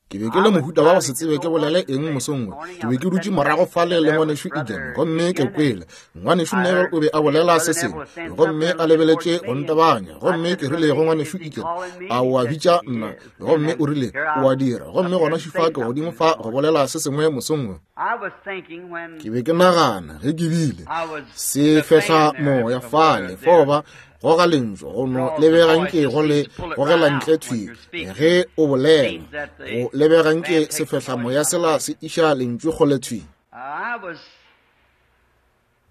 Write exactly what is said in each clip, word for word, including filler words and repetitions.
Ke be ke le mohuta wa go se tsebe ke bolele eng mosong wo. Ke be ke dutše morago fale le ngwanešu Egan, gomme ke kwele ngwanešu Neville o be a bolela se sengwe, gomme a lebeletše go ntebanya, gomme ke rile go ngwanešu Egan, a o a bitša nna? Gomme o rile, o a dira. Gomme gona šifa ke godimo fa go bolela se sengwe mosong wo. Ke be ke nagana ge ke bile se fehla moya fale fao ba goga lentšu go no lebega nke go le gogela ntle thwi ge o bolela, go lebega nke sefehlamoya sela se iša lentšu kgole thwi.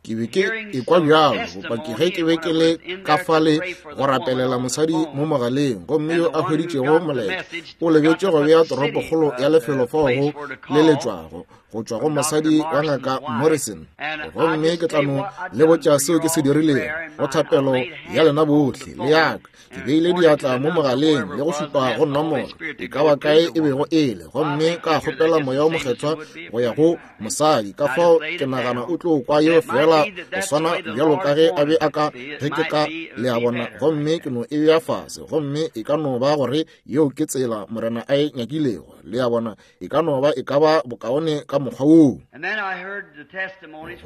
Ke be ke ekwa bjalo bopaki ge ke be ke le ka fale go rapelela mosadi mo mogaleng, gomme yo a hweditšego molaetša o lebetše go bea toropokgolo ya lefelo fao go leletšwago go tšwa go mosadi wa ngaka Morrison. Gomme ke tla no le botša seo ke se dirilego go thapelo ya lena bohle le yaka. Ke beile diatla mo mogaleng le go šupa go nomoro e ka ba kae e bego e le, gomme ka kgopela moya o mokgethwa go ya go mosadi. Ka fao ke nagana o tlo kwa yeo fela go swana bjalo ka ge a be a ka ge ke ka le a bona, gomme ke no e bea fase, gomme e ka no ba gore yeo ke tsela Morena a e nyakilego, le a bona, e ka no ba e ka ba bokaone ka mokgwa woo.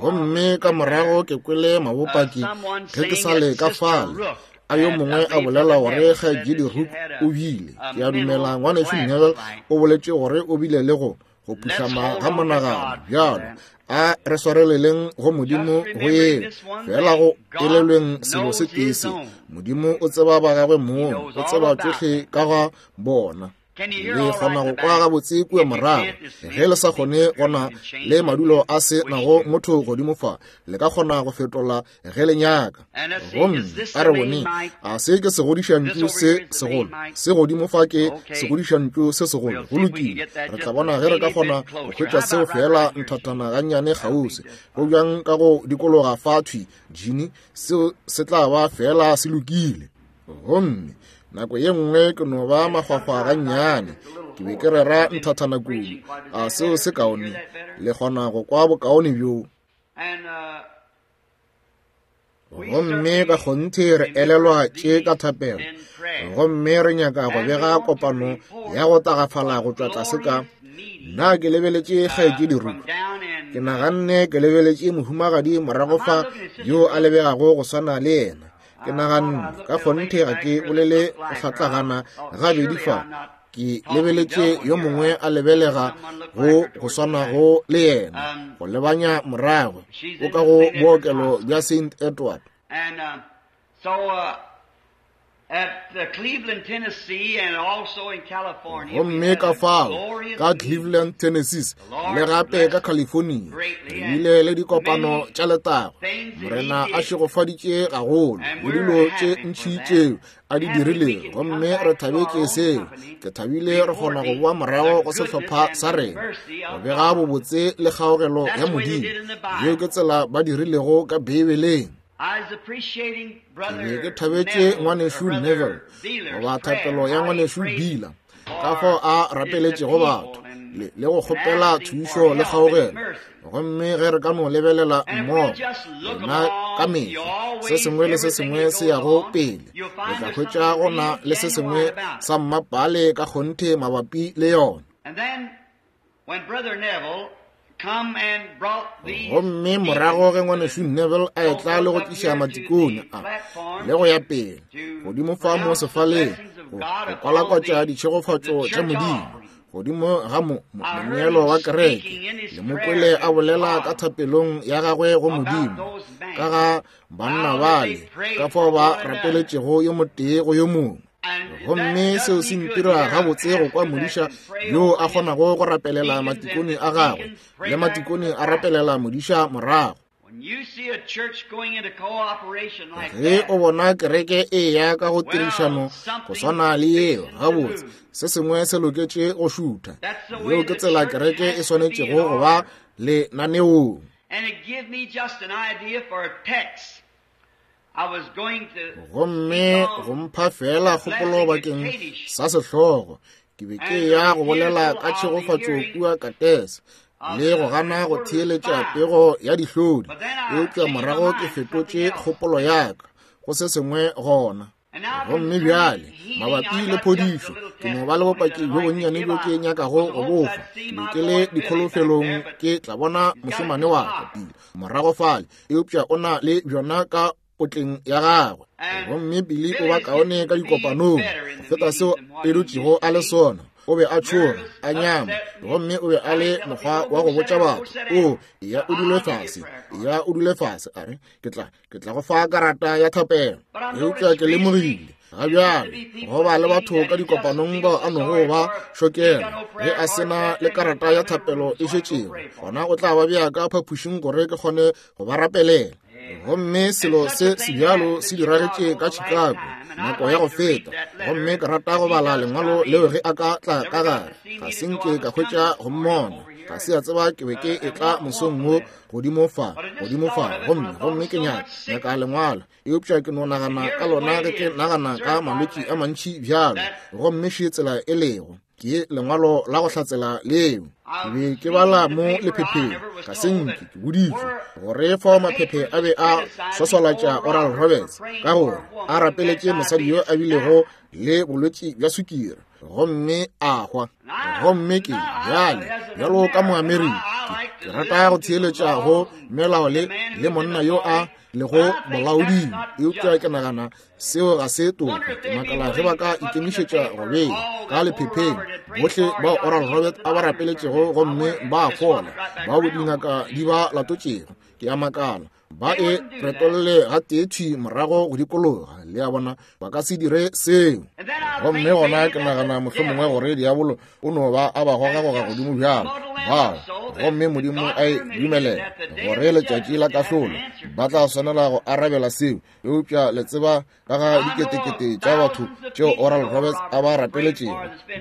Gomme ka morago ke kwele mabopaki ge ke sa le ka fale a yo mongwe a bolela gore kgaetšedi Rook o bile, ke a dumela ngwanešu Neville o boletše gore o bile le go go phuhlama ga monagano. Bjalo a re swareleleng go Modimo go yeo fela, go elelweng selo se tee se, Modimo o tseba ba gagwe mong, o tseba tšohle ka ga bona. Le kgona go kwa gabotse kua morago. Ge le sa kgone gona le madulo a se nago motho godimo fa, le ka kgona go fetola ge le nyaka. Gomme a re bone, a se ke segodišantšu se segolo se godimo fa, ke segodišantšu se segolo. Go lokile, re tla bona ge re ka kgona go hwetša seo fela nthathana gannyane kgauswi. Go bjang ka go dikologa fa thwi, Gene? Seo se tla ba fela se lokile. Gomme nako ye nngwe ke no ba makgwakgwa gannyane, ke be ke rera nthathana kudu. A seo se kaone? Le kgona go kwa bokaone bjo? Gomme ka kgonthe re elelwa tše ka thapelo, gomme re nyaka go bega kopano ya go tagafala go tšwa tlase ka. Nna ke lebeletše kgaetšedi Rook, ke naganne ke lebeletše mohumagadi morago fa yo a lebegago go swana le yena. Ke naganne ka kgonthe ga ke bolele go hlatlagana gabedi fa, ke lebeletše yo mongwe a lebelega go go swanago le yena, go lebanya morago o ka go bookelo bja Saint Edward. Gomme ka fao ka Cleveland, Tennessee, le gape ka California, re bile le dikopano tša letago. Morena a šegofaditše gagolo le dilo tše ntši tšeo a di dirilego, gomme re thabetše seo. Ke thabile re kgona go boa morago go sehlopha sa rena go bega bobotse le kgaogelo ya Modimo. Yeo ke tsela ba dirilego ka Beibeleng. Ke be ke thabetše ngwanešu Neville goba thapelo ya ngwanešu Bila, ka fao a rapeletšego batho le, le go kgopela thušo le kgaogelo. Gomme ge re ka no lebelela mmogo rena ka mehla se sengwe le se sengwe se yago pele, re tla hwetša go na le se sengwe sa mmapale ka kgonthe mabapi le yona. Gomme morago ge ngwanešu Neville a etla le go tliša matikone a le go ya pele godimo fa mo sefaleng go kwalakwatša ditšhegofatšo tša Modimo godimo ga moneelo wa kereke, le mo kwele a bolela ka thapelong ya gagwe go Modimo ka ga banna bale, ka fao ba rapeletšego yo motee go yo mongwe. Gomme seo se ntira gabotse go kwa modiša yo a kgonago go rapelela matikone a gagwe, le matikone a rapelela modiša morago. Ge o bona kereke e ya ka go tirišano go swana le yeo, gabotse se sengwe se loketše go šutha. Yeo ke tsela kereke e swanetšego go ba lenaneong. Gomme go mpha fela kgopolo bakeng sa sehlogo, ke be ke ya go bolela ka tšhegofatšo kua Katese le go gana go theeletša pego ya dihlodi, eupša morago ke fetotše kgopolo ya ka go se sengwe gona. Gomme bjale mabapi le phodišo, Ke no ba le bopaki bjo bonnyane bjo ke nyakago go bofa. Ke be ke le dikholofelong ke tla bona mošemane wa ka pele morago fale, eupša o na le bjona ka potleng ya gagwe. Gomme Billy o ba kaone ka dikopanong go feta seo e dutšego a le sona. O be a tšhoga, a nyama, gomme o be a le mokgwa wa go botša batho, o ya o dule fase, ya o dule fase, a re ke tla ke tla go fa karata ya thapelo. Eupša ke lemogile ga bjale go ba le batho ka dikopanong bao a nogo ba šokela ge a sena le karata ya thapelo e šetšego, gona o tla ba bea ka phapošing gore ke kgone go ba rapelela. Gomme selo se sebjalo se diragetše ka Chicago nako ya go feta, gomme ke rata go bala lengwalo leo ge a ka tla ka gare. Ga se nke ka hwetša go mmona, ga se a tseba ke be ke etla mosong wo godimo fa, godimo fa, gomme gomme ke nyaka nyaka lengwalo, eupša ke no nagana ka lona ge ke nagana ka malwetši a mantši bjalo. Gomme še tsela e lego ke lengwalo la go hlatsela leo. Ke be ke bala mo lephepheng, ga se nke ke boditšwe gore fao maphephe a be a swaswalatša Oral Roberts ka gore a rapeletše mosadi yo a bilego le bolwetši bja sukiri gomme a hwa. Gomme ke bjale bjalo ka Moamerika ke rata go theeletša go melao le le monna yo a lego molaoding, eupša ke nagana seo ga se toka. Ke makala ge ba ka ikemišetša go bea ka lephepheng bohle bao Oral Roberts a ba rapeletšego gomme ba fola, bao dingaka di ba latotšego. Ke a makala ba e retolle ga tee thwi morago go dikologa, le a bona, ba ka se dire seo. Gomme gona ke nagana mohlomongwe gore diabolo o no ba a ba gogagoga godimo bjalo bao, gomme Modimo a e dumelela gore letšatši la kahlolo ba tla swanela go arabela seo. Eupša le tseba ka ga diketekete tša batho tšeo Oral Roberts a ba rapeletšego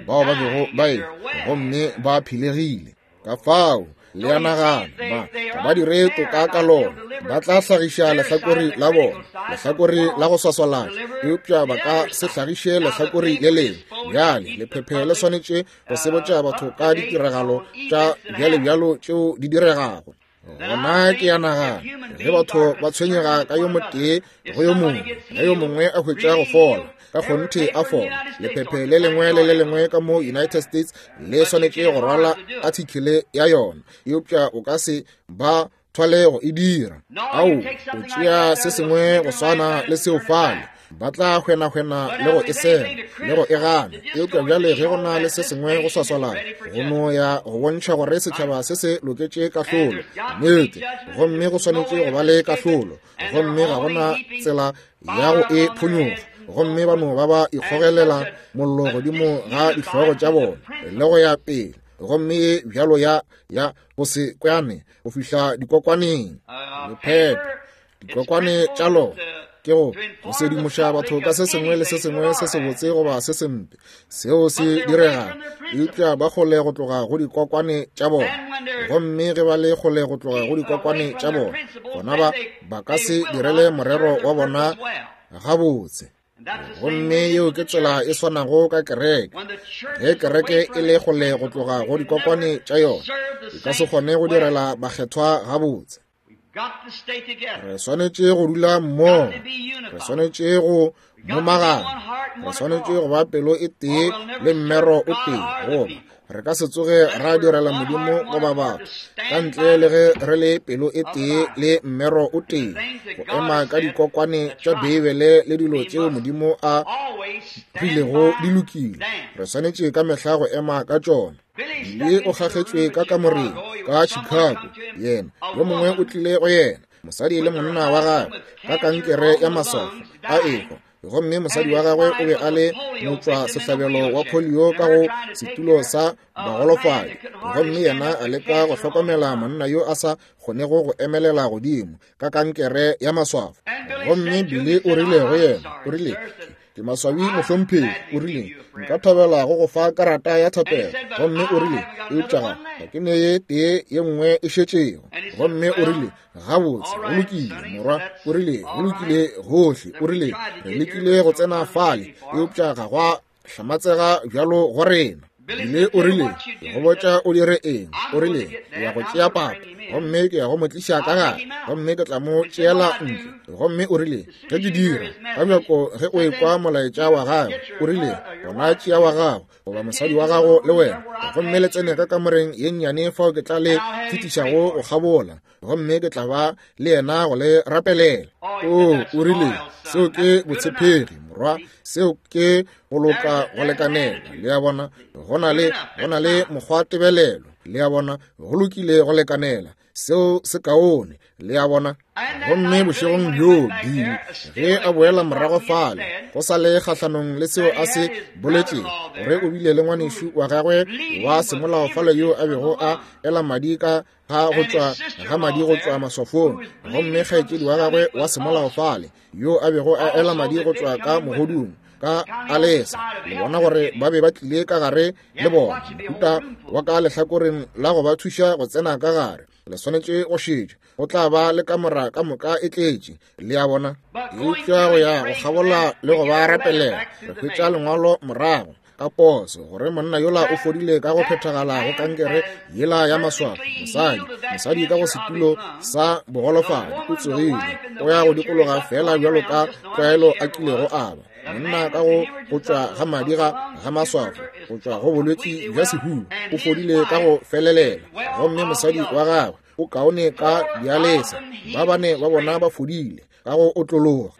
bao ba bego ba e gomme ba phelegile. Ka fao le a nagana ba ba dire toka ka lona, ba tla hlagiša lehlakore la bona, lehlakore la go swaswalatša, eupša ba ka se hlagiše lehlakore le lengwe. Bjale lephephe le swanetše go sebotša batho ka ditiragalo tša bjalebjalo tšeo di diregago. Gona ke a nagana ge batho ba tshwenyega ka yo motee go yo mongwe, ge yo mongwe a hwetša go fola, ka kgonthe a fola, lephephe le lengwe le le lengwe ka mo United States le swanetše go rwala artikele ya yona, eupša o ka se ba thwale go e dira. Ao, o tšea se sengwe go swana le seo fale, ba tla hwenahwena le go e sela le go e gana. Eupša bjale ge go na le se sengwe go swaswalana, go no ya go bontšha gore setšhaba se se loketše kahlolo, nnete, gomme go swanetše go ba le kahlolo, gomme ga gona tsela ya go e phonyoga. Gomme ba no ba ba ikgogelela mollo godimo ga dihlogo tša bona le go ya pele, gomme ye bjalo ya ya go se kwane go fihla dikokwaneng. Lephephe dikokwane tša lona ke go go sedimoša batho ka se sengwe le se sengwe se sebotse goba se sempe seo se diregago, eupša ba kgole go tloga go dikokwane tša bona. Gomme ge ba le kgole go tloga go dikokwane tša bona, gona ba ba ka se direle morero wa bona gabotse. Gomme yeo ke tsela e swanago ka kereke. Ge kereke e le kgole go tloga go dikokwane tša yona, e ka se kgone go direla bakgethwa gabotse. Re swanetše go dula mmogo, re swanetše go momagana, re swanetše go ba pelo e tee le mmero o tee, goba re ka se tsoge ra direla Modimo goba batho ka ntle le ge re le pelo e tee le mmero o tee, go ema ka dikokwane tša Beibele le dilo tšeo Modimo a rilego di lokile. Re swanetše ka mehla go ema ka tšona. Billy o kgakgetšwe ka kamoreng ka Chicago, yena yo mongwe o tlile go yena, mosadi le monna wa gagwe, ka kankere ya maswafo a ehwa, gomme mosadi wa gagwe o be a le motšwa sehlabelo wa polio ka go setulo sa bagolofadi, gomme yena a leka go hlokomela monna yo a sa kgonego go emelela godimo ka kankere ya maswafo. Gomme Billy o rile go yena, o rile, ke maswabi mohlomphegi, o rile, nka thabela go go fa karata ya thapelo. Gomme o rile, eupša ga ke ne ye tee ye nngwe e šetšego. Gomme o rile, gabotse, go lokile morwa, o rile, go lokile gohle, o rile, re lekile go tsena fale, eupša ga gwa hlamatsega bjalo go rena. Bile o rile, ke go botša o dire eng. O rile, ke ya go tšea papa, gomme ke ya go mo tliša ka gare, gomme ke tla mo tšeela ntle. Gomme o rile, ge ke dira, ka bjako ge o ekwa molaetša wa gagwe, o rile, gona tšea wa gago goba mosadi wa gago le wena, gomme le tsene ka kamoreng ye nnyane fao ke tla le fetišago go kgabola, gomme ke tla ba le yena go le rapelela. O, o rile, seo ke botshepegi, morwa, seo ke go loka go lekanela. Le a bona, go na le, go na le mokgwa tebelelo. Le a bona, go lokile go lekanela, seo se kaone. Le a bona. Gomme bošegong bjoo Billy ge a boela morago fale, go sa le kgahlanong le seo a se boletšego, gore o bile le ngwanešu wa gagwe wa semolao fale yo a bego a ela madi ka ga go tšwa ga madi go tšwa maswafong, gomme kgaetšedi wa gagwe wa semolao fale yo a bego a ela madi go tšwa ka mogodung ka alesa. Le bona gore ba be ba tlile ka gare le bona, mohuta wa ka lehlakoreng la go ba thuša go tsena ka gare. Le swanetše go šetša, go tla ba le kamora ka moka e tletše. Le a bona. Eupša go ya go kgabola le go ba rapelela, re hwetša lengwalo morago ka poso gore monna yola o fodile ka go phethagala go kankere yela ya maswafo. Mosadi, mosadi ka go setulo sa bogolofadi o tsogile, o ya go dikologa fela bjalo ka tlwaelo a kilego a ba. Monna ka go go tšwa ga madi ga ga maswafo, go tšwa go bolwetši bja sehuba, o fodile ka go felelela. Gomme mosadi wa gagwe o kaone ka dialesa. Ba bane ba bona ba fodile ka go otlologa.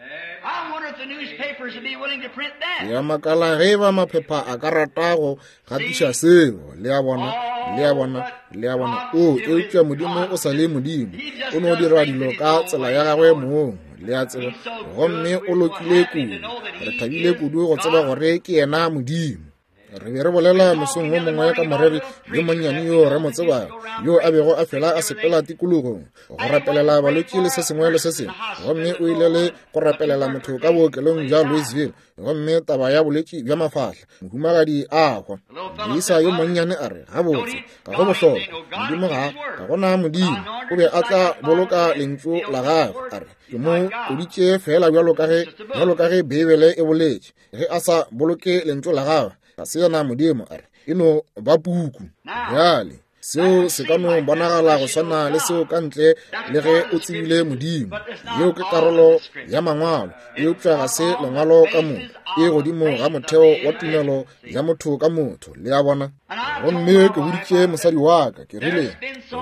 Ya makala ge ba maphepha a ka rata go gatiša seo. Le a bona, le a bona, le a bona. O, eupša Modimo o sa le Modimo, o no dira dilo ka tsela ya gagwe mong. Le a tseba, gomme o lokile kudu. Re thabile kudu go tseba gore ke yena Modimo. Re be re bolela mosong wo mongwe ka moreri yo monnyane yo re mo tsebago, yo a bego a fela a sepela tikologong go rapelela balwetši le se sengwe le se sengwe. Gomme o ile le go rapelela motho ka bookelong bja Louisville, gomme taba ya bolwetši bja mafahla, mohumagadi a hwa. Moisa yo monnyane a re, gabotse, ga go bohlokwa, Modimo ga, ga gona Modimo. O be a tla boloka lentšu la gagwe. A re, ke mo koditše fela bjalo ka ge, bjalo ka ge Beibele e boletše, ge a sa boloke lentšu la gagwe, ga se yena Modimo. A re, e no ba puku. Bjale seo se ka no bonagala go swana le seo ka ntle le ge o tsebile Modimo. Yeo ke karolo ya mangwalo, eupša ga se lengwalo ka moka. E godimo ga motheo wa tumelo ya motho ka motho. Le a bona. Gomme ke boditše mosadi wa ka, ke rile,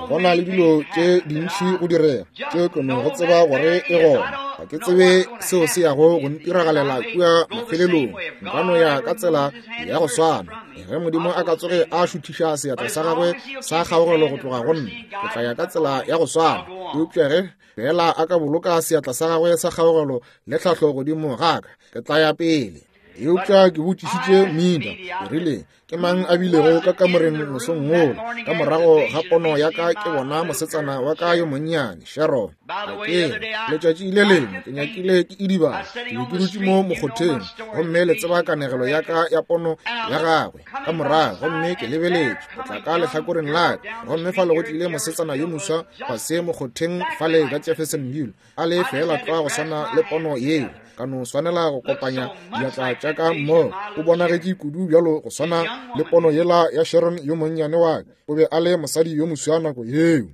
go na le dilo tše dintši go direga tše ke no go tseba gore e gona. Ga ke tsebe seo se yago go ntiragalela kua mafelelong. Nka no ya ka tsela ya go swana. Ge Modimo a ka tsoge a šuthiša seatla sa gagwe sa kgaogelo go tloga go nna, ke tla ya ka tsela ya go swana. Eupša ge fela a ka boloka seatla sa gagwe sa kgaogelo le tlhahlo godimo ga ka, ke tla ya pele. Eupša ke botšišitše Mida, ke rile, ke mang a bilego ka kamoreng mosong wola? Ka morago ga pono ya ka ke bona mosetsana wa ka yo monnyane, Sharon. Ke letšatši le lengwe ke nyakile ke idibala, ke be ke dutše mo mokgotheng, gomme le tseba kanegelo ya ka ya pono ya gagwe ka morago, gomme ke lebeletše go tla ka lehlakoreng la ka, gomme fale go tlile mosetsana yo moswa fase mokgotheng fale ka Jeffersonville, a le fela tlwa go swana le pono yeo. Ka no swanela go kopanya diatla tša ka mmogo. O bonagetše kudu bjalo go swana le pono yela ya Sharon yo monnyane wa ka. O be a le mosadi yo moswa nako yeo.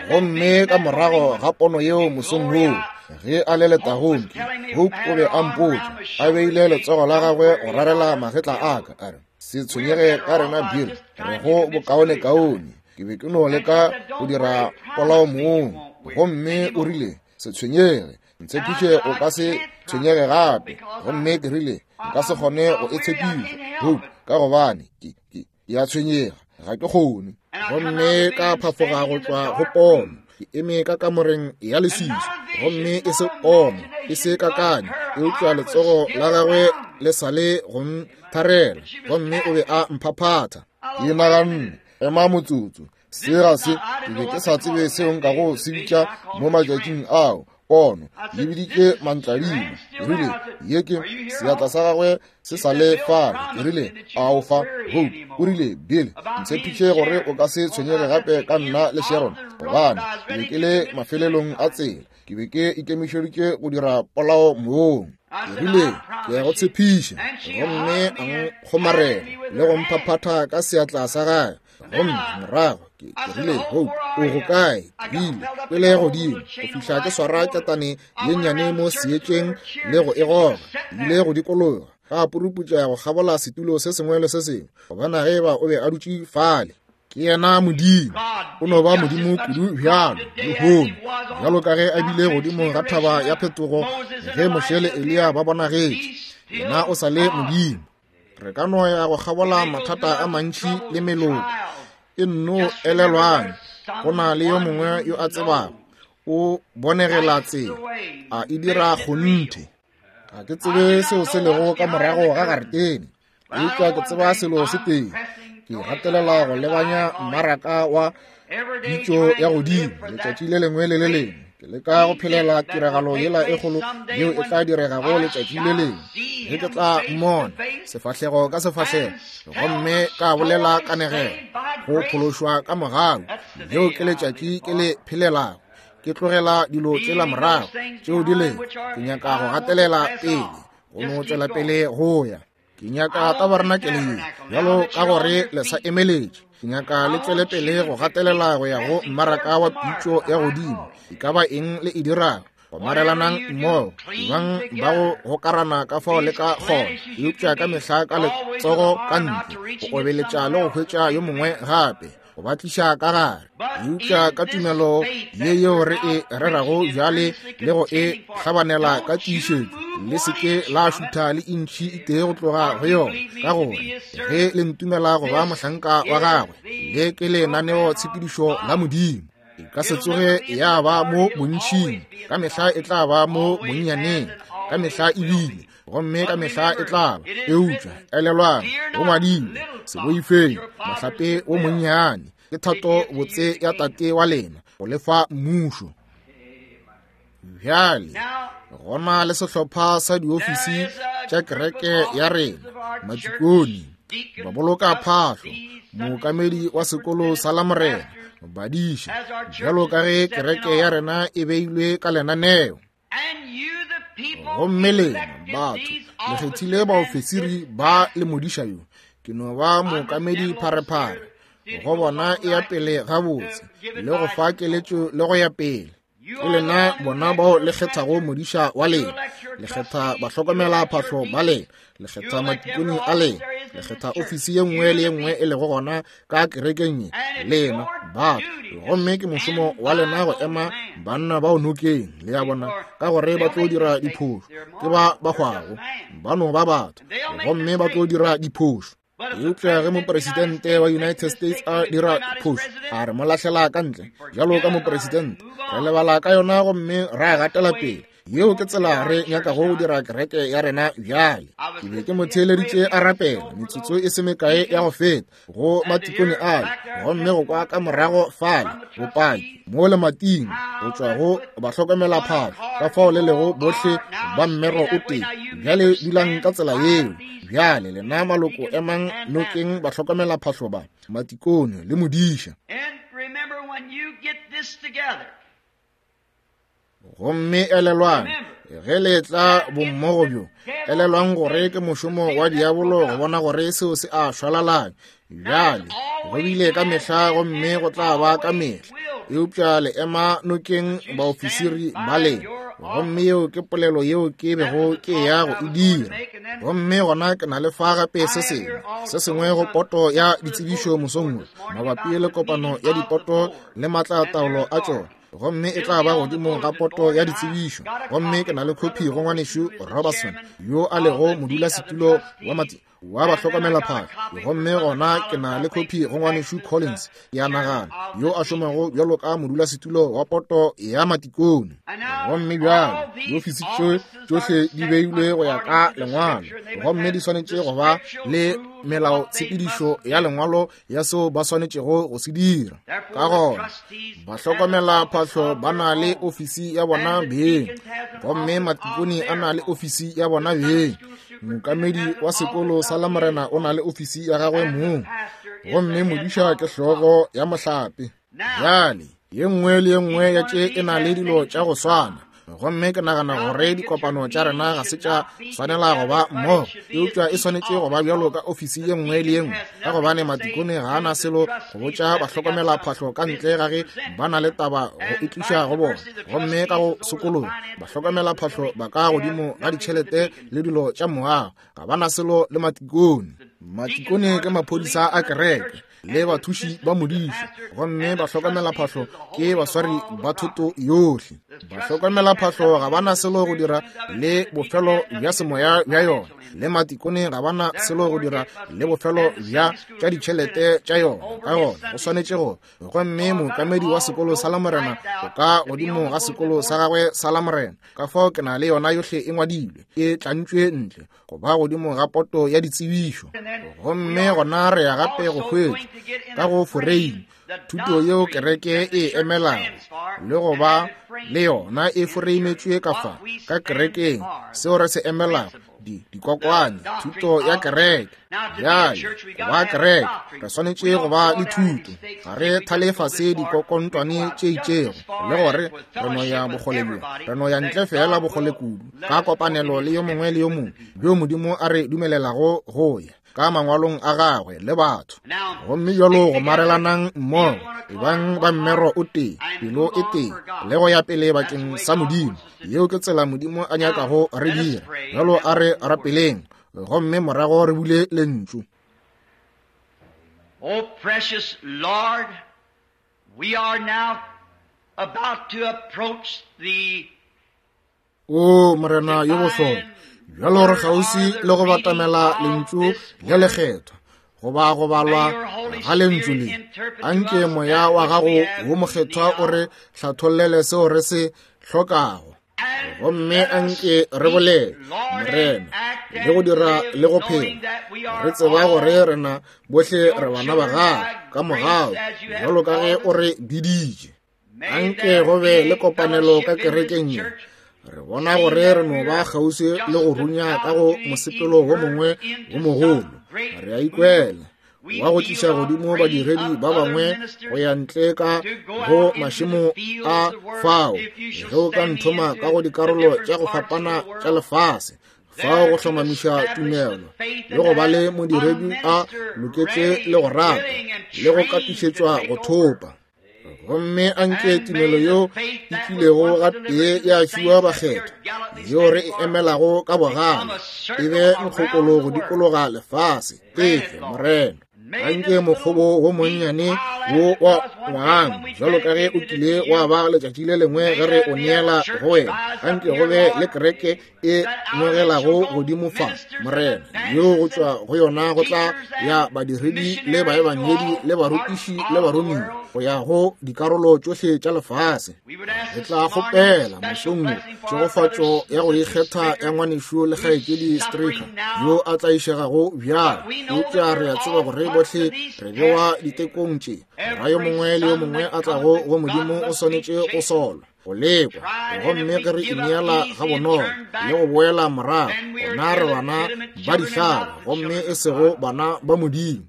Gomme ka morago ga pono yeo mosong woo, ge a le letagong, Hope o be a mpotša, a beile letsogo la gagwe go rarela magetla a ka, a re, se tshwenyege ka rena Bill, re go bokaone kaone. Ke be ke no leka go dira polao mong. Gomme o rile, se tshwenyege, ntshepiše o ka se tshwenyege gape. Gomme ke rile, nka se kgone go e tshepiša, Hope, ka gobane ke ke ke a tshwenyega, ga ke kgone. Gomme ka phafoga go tšwa go pono, ke eme ka kamoreng ya leswiswi, gomme e se pono, e se kakanyo, eupša letsogo la gagwe le sa le go ntharela, gomme o be a mphaphatha. Ke naganne, ema motsotso, se ga se, ke be ke sa tsebe seo nkago se bitša mo matšatšing ao. Pono le biditše mantladima. Ke rile, ye ke seatla sa gagwe se sa le fale. Ke rile, a o fa Hope? O rile, Bill, ntshepiše gore o ka se tshwenyege gape ka nna le Sharon, gobane ke be ke le mafelelong a tsela. Ke be ke ikemišeditše go dira polao moong. Ke rile, ke a go tshepiša. Gomme a nkgomarela le go mphaphatha ka seatla sa gagwe. Gomme morago ke rile, Hope, o go kae? Ke rile, pele godimo go fihla ke swara ketane ye nnyane mo seetšeng le go e goga. Ke ile go dikologa ka puruputša go kgabola setulo se sengwe le se sengwe, gobana ge eba o be a dutše fale. Ke yena Modimo. O no ba Modimo kudu bjalo lehono, bjalo ka ge a bile godimo ga thaba ya phetogo ge Moshe le Eliya ba bonagetše. Yena o sa le Modimo. Re ka no ya go kgabola mathata a mantši le meloko. E nno elelwang, go na le yo mongwe yo a tsebago. O bonegela tsela, a e dira kgonthe. Ga ke tsebe seo se lego ka morago ga garetene, eupša ke tseba selo se tee. Ke gatelela go lebanya mmaraka wa pitšo ya godimo letšatši le lengwe le le lengwe. Ke leka go phelela tiragalo yela e kgolo yeo e tla diregago letšatši le lengwe, ge ke tla mmona sefahlego ka sefahlego gomme ka bolela kanegelo go phološwa ka mogau. Leo ke letšatši ke le phelelago. Ke tlogela dilo tšela morago tšeo di lego. Ke nyaka go gatelela pele, go no tšwela pele go ya. Ke nyaka tabarenakele ye bjalo ka gore le sa emeletše. Ke nyaka le tšwele pele go gatelela go ya go mmaraka wa pitšo ya godimo. E ka ba eng le e dirago, gomarelanang mmogo, ebang ba go gokarana ka fao le ka kgona, eupša ka mehla ka letsogo ka ntle, go obeletša le go hwetša yo mongwe gape, go ba tliša ka gare. Eupša ka tumelo ye yeo re e rerago bjale le go e hlabanela ka tiišetšo, le se ke la šutha le intšhi e tee go tloga go yona, ka gore ge le ntumela go ba mohlanka wa gagwe, le ke lenaneo tshepedišo la Modimo. E ka se tsoge ya ba mo bontšing, ka mehla e tla ba mo bonnyaneng, ka mehla e bile, gomme ka mehla e tla ba. Eupša elelwang, go ngwadilwe, se boifeng mohlape wo monnyane, ke thato botse ya Tate wa lena go lefa mmušo. Bjale gona le sehlopha sa diofisi tša kereke ya rena, matikoni, baboloka phahlo, mookamedi wa sekolo sa Lamorena, badiša, bjalo ka ge kereke ya rena e beilwe ka lenaneo. Gomme lena batho le kgethile baofisiri ba le modiša yo. Ke no ba mookamedi pharephare go bona e ya pele gabotse le go fa keletšo le go ya pele. Ke lena bona bao le kgethago modiša wa lena, le kgetha bahlokomela phahlo ba lena, le kgetha matikoni a lena, le kgetha ofisi ye nngwe le ye nngwe e lego gona ka kerekeng ye, lena batho. Gomme ke mošomo wa lena go ema banna bao nokeng, le ya bona, ka gore ba tlo dira diphošo. Ke ba ba hwago, ba no ba batho, gomme ba tlo dira diphošo. Eupša ge mopresidente wa United States a dira phošo, a re mo lahlela ka ntle bjalo ka mopresidente, re lebala ka yona gomme ra gatela pele. Yeo ke tsela re nyakago go dira kereke ya rena bjale. Ke be ke mo theeleditše a rapela metsotso e se mekae ya go feta go matikone ale, gomme go kwa ka morago fale bopaki mo lemating go tšwa go bahlokomela phahlo, ka fao le lego bohle ba mmero o tee. Bjale dulang ka tsela yeo. Bjale lena maloko emang nokeng bahlokomela phahlo ba, matikone le modiša. Gomme elelwang, ge le tla bommogo bjo, elelwang gore ke mošomo wa diabolo go bona gore seo se a šwalalanya. Bjale go bile ka mehla gomme go tla ba ka mehla, eupša le ema nokeng baofisiri ba lena. Gomme yeo ke polelo yeo ke bego ke ya go e dira. Gomme gona ke na le fa gape se sengwe se sengwe go poto ya ditsebišo mosong wo mabapi le kopano ya dipoto le matlataolo a tšona. Gomme e tla ba godimo ga poto ya ditsebišo. Gomme ke na le khophi go ngwanešu Robertson yo a lego modulasetulo wa mati wa bahlokomelaphahlo. Gomme gona ke na le kopi go ngwanešu Collins, ke a nagana, yo a šomago bjalo ka modulasetulo wa poto ya matikone. Gomme bjalo diofisi tše tšohle di beilwe go ya ka lengwalo, gomme di swanetše go ba le melaotshepedišo ya lengwalo ya seo ba swanetšego go se dira. Ka gona bahlokomelaphahlo ba na le ofisi ya bona beng, gomme matikone a na le ofisi ya bona beng. Mookamedi wa sekolo sa Lamorena o na le ofisi ya gagwe mong, gomme modiša ke hlogo ya mohlape. Bjale ye nngwe le ye nngwe ya tše e na le dilo tša go swana, gomme ke nagana gore dikopano tša rena ga se tša swanela go ba mmogo, eupša e swanetše go ba bjalo ka ofisi ye nngwe le ye nngwe, ka gobane matikone ga a na selo go botša bahlokomelaphahlo ka ntle ga ge ba na le taba go e tliša go bona. Gomme ka go sekolong bahlokomelaphahlo ba ka godimo ga ditšhelete le dilo tša moago, ga ba na selo le matikone. Matikone ke maphodisa a kereke le bathuši ba modiša, gomme bahlokomelaphahlo ke baswari ba thoto yohle. Bahlokomelaphahlo ga ba na selo go dira le bofelo bja semoya bja yona, le matikone ga ba na selo go dira le bofelo bja tša ditšhelete tša yona. Ka gona go swanetše go, gomme mookamedi wa sekolo sa Lamorena o ka godimo ga sekolo sa gagwe sa Lamorena. Ka fao ke na le yona yohle e ngwadilwe, e tlantšwe ntle go ba godimo ga poto ya ditsebišo. Gomme gona re ya gape go hwetša ka go foreime thuto yeo kereke e emelago, le go ba le yona e foreimetšwe ka fa ka kerekeng, seo re se emelago, di dikokwane, thuto ya kereke. Bjale go ba kereke re swanetše go ba le thuto. Ga re thale fase dikokontwane tše itšego, le gore re no ya bokgole bjo, re no ya ntle fela bokgole kudu ka kopanelo le yo mongwe le yo mongwe bjo Modimo a re dumelelago go ya ka mangwalong a gagwe le batho. Gomme bjalo go marelanang mmogo, ebang ba mmero o tee, pelo e tee, le go ya pele bakeng sa Modimo. Yeo ke tsela Modimo a nyakago re dira. Bjalo a re rapeleng, gomme morago re bule lentšu. Oh, precious Lord, we are now about to approach the O Morena yo bohlokwa, bjalo re kgauswi le go batamela lentšu le lekgethwa, goba go balwa ga lentšu le. Anke moya wa gago wo mokgethwa o re hlathollele seo re se hlokago, gomme anke re bolele, Morena, le go dira le go phela, re tseba gore rena bohle re bana ba gago ka mogau, bjalo ka ge o re biditše. Anke go be le kopanelo ka kerekeng ye. Re bona gore re no ba kgauswi le go runya ka go mosepelo wo mongwe wo mogolo. Re a ikwela wa go tliša godimo badiredi ba bangwe go ya ntle ka go mašemo a fao, ge o ka nthoma ka go dikarolo tša go fapana tša lefase, fao go hlomamiša tumelo le go ba le modiredi a loketše le go rata le go katišetšwa go thopa. Gomme anke tumelo yeo e kilego gatee ya fiwa bakgethwa, yeo re e emelago ka bogale, e be nkgokolo go dikologa lefase. Efe, Morena, anke mokgobo wo monnyane wo wa ngwang, bjalo ka ge o kile wa ba letšatši le lengwe ge re o neela go wena, anke go be le kereke e ngwegelago godimo fa, Morena, yeo go tšwa go yona go tla ya badiredi le baebangedi le barutiši le baromiwa go ya go dikarolo tšohle tša lefase. Re tla kgopela mosong wo tšhegofatšo ya go ikgetha ya ngwanešu le kgaetšedi Stricker yo a tlaišegago bjalo, eupša re a tseba gore bohle re bewa ditekong tše. Ra yo mongwe le yo mongwe a tlago go Modimo o swanetše go solwa, go lekwa, gomme ge re ineela ga bonolo le go boela morago, gona re bana ba dihlaba, gomme e sego bana ba Modimo.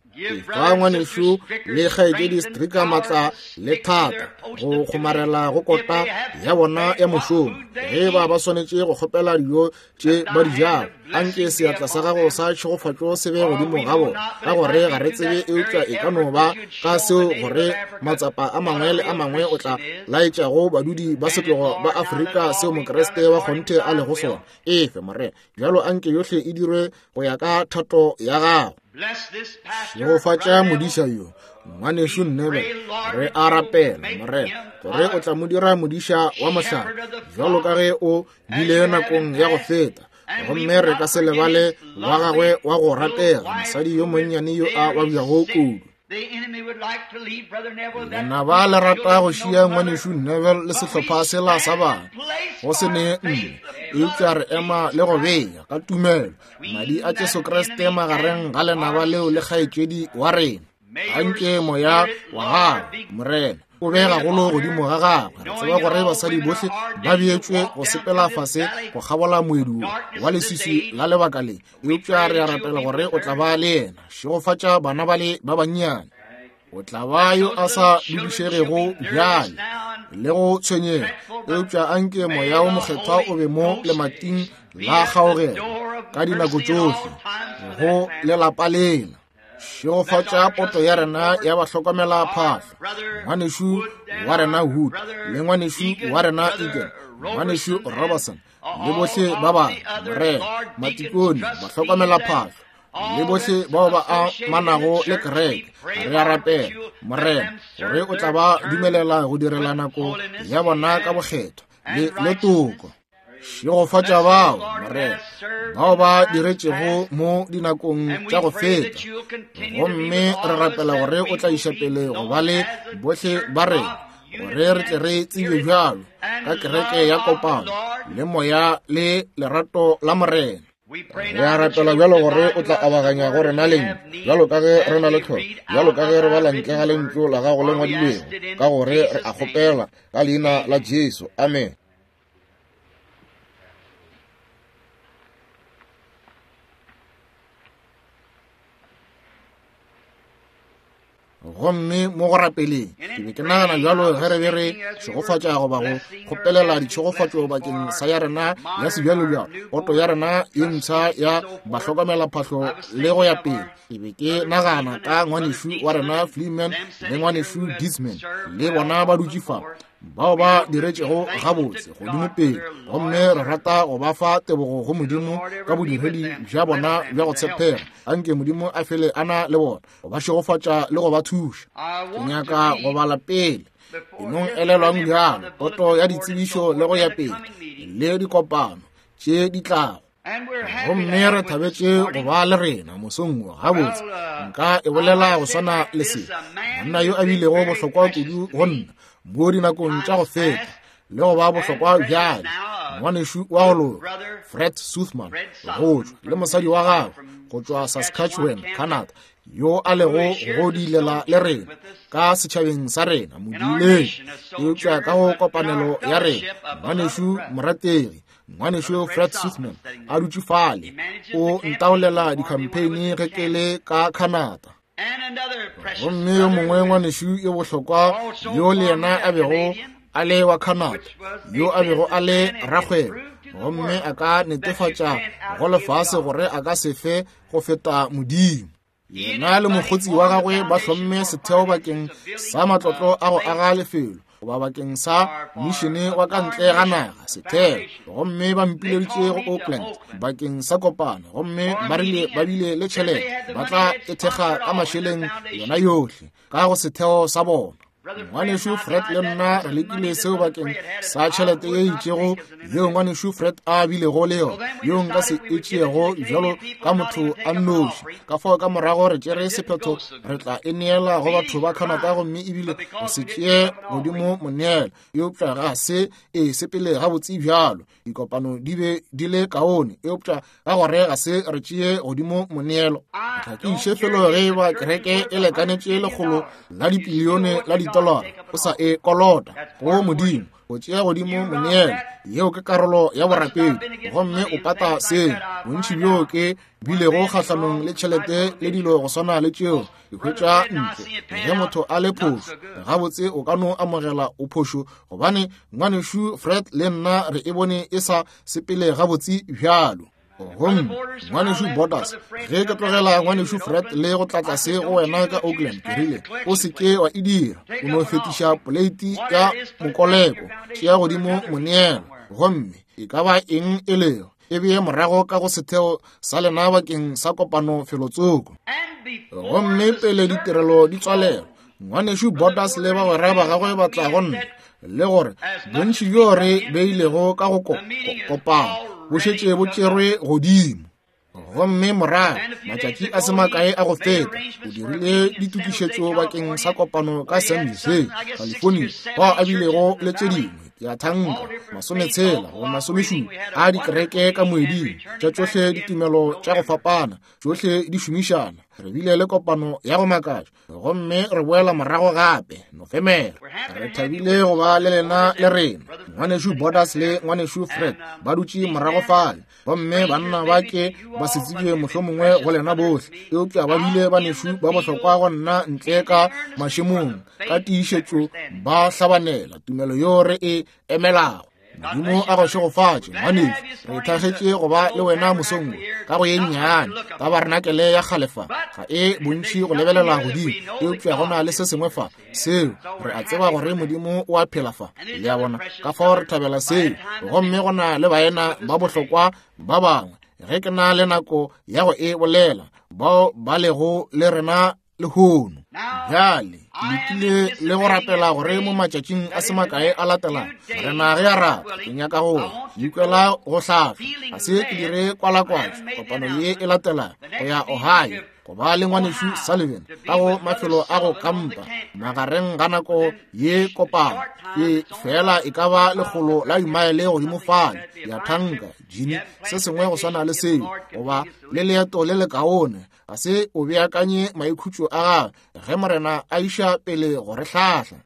Fa ngwanešu le kgaetšedi Stricker maatla le thata go kgomarela go kota ya bona ya mošomo, ge ba ba swanetše go kgopela dijo tše ba di jago, anke seatla sa gago sa tšhegofatšo se be godimo ga bona, ka gore ga re tsebe eupša e ka no ba ka seo gore matsapa a mangwe le a mangwe o tla laetšago badudi ba setlogo ba Afrika seo Mokreste wa kgonthe a lego sona. Efe, Morena, bjalo anke yohle e dirwe go ya ka thato ya gago. Šegofatša modiša yo, ngwanešu Nnebe, re a rapela, Morena, gore o tla mo dira modiša wa mohlare, bjalo ka ge o bile nakong ya go feta, Gomme re ka se lebale wa gagwe wa go ratega, mosadi yo monnyane yo a babjago kudu. Lenaba le rata go šia ngwanešu Neville le sehlopha sela sa bana go se ne mme, eupša re ema le go bea ka tumelo madi a Jesu Kriste magareng ga lenaba leo le kgaetšedi wa rena. Anke moya wa gagwe, Morena, o be gagolo godimo ga gagwe. Re tseba gore basadi bohle ba beetšwe go sepela fase go kgabola moedu wa leswiswi la lebaka le, eupša re a rapela gore o tla ba le yena. Šegofatša bana bale ba bannyane. O tla ba yo a sa dudišegego bjale le go tshwenyega, eupša anke moya wo mokgethwa o be mo lemating la kgaogelo ka dinako tšohle go lelapa lela. Šegofatša poto ya rena ya bahlokomela phahlo, ngwanešu wa rena Wood le ngwanešu wa rena Egan, ngwanešu Robertson le bohle ba bangwe, Morena, matikone, bahlokomela phahlo le bohle bao ba amanago le kereke. Re a rapela, Morena, gore o tla ba dumelela go direla nako ya bona ka bokgethwa le le toko. Šegofatša bao, Morena, bao ba diretšego mo dinakong tša go feta, gomme re rapela gore o tla iša pele go ba le bohle ba rena, gore re tle re tsebe bjalo ka kereke ya kopano le moya le lerato la Morena. Re a rapela bjalo gore o tla abaganya go rena leng, bjalo ka ge re na le tlhoko, bjalo ka ge re bala ntle ga lentšu la gago le ngwadilwego, ka gore re a kgopela ka leina la Jesu. Amen. Gomme mo go rapeleng ke be ke nagana bjalo ge re be re šegofatša goba go kgopelela ditšhegofatšo bakeng sa ya rena ya sebjalobjalo, poto ya rena ye mpsha ya bahlokomela phahlo le go ya pele. Ke be ke nagana ka ngwanešu wa rena Freeman le ngwanešu Disman le bona ba dutše fa, bao ba diretšego gabotse godimo pele, gomme re rata go ba fa tebogo go Modimo ka bodiredi bja bona bja go tshepega. Anke Modimo a fele a na le bona, go ba šegofatša le go ba thuša. Ke nyaka go bala pele enong elelwang bjalo poto ya ditsebišo le go ya pele le dikopano tše di tlago. Gomme re thabetše go ba le rena mosong wo. Gabotse nka e bolela go swana le se, monna yo a bilego bohlokwa kudu go nna mo dinakong tša go feta le go ba bohlokwa bjale, ngwanešu wa go loka Fred Suthman go tšwa le mosadi wa gagwe go tšwa Saskatchewan, Canada, yo a lego go dilela le rena ka setšhabeng sa rena modileng, eupša ka go kopanelo ya rena. Ngwanešu morategi, ngwanešu Fred Suthman a dutše fale, o ntaolela di-campaign ge ke le ka Canada. Gomme yo mongwe ngwanešu yo bohlokwa yo le yena a bego a le wa Canada, yo a bego a le rakgwebo, gomme a ka netefatša go lefase gore a ka se fe go feta Modimo. Yena le mokgotsi wa gagwe ba hlomme setheo bakeng sa matlotlo a go aga lefelo goba bakeng sa mišene wa ka ntle ga naga setheo, gomme ba mpileditše go Oakland bakeng sa kopano, gomme ba rile ba bile le tšhelete ba tla e thekga ka mašeleng yona yohle ka go setheo sa bona. Ngwanešu Fred le nna re lekile seo bakeng sa tšhelete ye itšego yeo ngwanešu Fred a bilego le yona, yeo nka se e tšeego bjalo ka motho a nnoši. Ka fao ka morago re tšere sephetho re tla e neela go batho ba Canada, gomme ebile go se tšee godimo moneelo, eupša ga se e sepele gabotse bjalo. Dikopano di be di le kaone, eupša ka gore ga se re tšee godimo moneelo. Ga ke iše felo ge ba kereke e lekanetše lekgolo la dipilione la ditolara, o sa e kolota go Modimo go tšea godimo moneelo. Yeo ke karolo ya borapedi, gomme o pata seo. Bontši bjo ke bilego kgahlanong le tšhelete le dilo go swana le tšeo, ke hwetša ntle ge motho a le phošo. Gabotse o ka no amogela o phošo, gobane ngwanešu Fred le nna re e bone e sa sepele gabotse bjalo. Gomme ngwanešu Borders, ge ke tlogela ngwanešu Fred le go tla tlase go wena ka Oakland, ke rile o se ke wa e dira, o no fetiša poleiti ya mokoleko, tšea godimo moneelo, gomme e ka ba eng e lego e bee morago ka go setheo sa lena bakeng sa kopano felotsoko. Gomme pele ditirelo di tswalelwa, ngwanešu Borders le bagwera ba gagwe ba tla go nna le gore bontši bjo re beilego ka go kopano bo šetše bo tšerwe godimo. Gomme morago matšatši a se makae a go feta o dirile ditokišetšo bakeng sa kopano ka San Jose, California, bao a bilego le tše dingwe ke a thanka masometshela goba masomešupa a dikereke ka moeding tša tšohle ditumelo tša go fapana, tšohle di šomišana. Re bile le kopano ya go makatša gomme re boela morago gape Nofemere. Re thabile go ba le lena le rena. Ngwanešu Borders le ngwanešu Fred ba dutše morago fale, gomme banna ba ke ba se tsebje mohlomongwe go lena bohle, eupša ba bile banešu ba bohlokwa go nna ntle ka mašemong ka tiišetšo ba hlabanela tumelo yo re e emelago. Modimo a go šegofatše ngwanešu. Re thagetše go ba le wena mosong wo ka go ye nnyane tabarenakele ya kgale fa ga e bontši go lebelela godimo, eupša go na le se sengwe fa seo re a tseba gore Modimo o a phela fa. Le a bona, ka fao re thabela seo. Gomme go na le baena ba bohlokwa ba bangwe, ge ke na le nako ya go e bolela, bao ba lego le rena lehono. Bjale lekile le go rapela gore mo matšatšing a se makae a latelang rena ge a rata ke nyaka go ikwela go hlahla, ga se ke dire kwalakwatšo kopano ye e latelang go ya Ohio go ba le ngwanešu Sullivan ka go mafelo a go kampa magareng ga nako ye kopano ke fela e ka ba lekgolo la dimaele godimo fale ya thanka jini se sengwe go swana le seo, goba le leeto le lekaone. Ga se o beakanye maikhutšo a gagwe ge Morena a iša pele go re hlahla.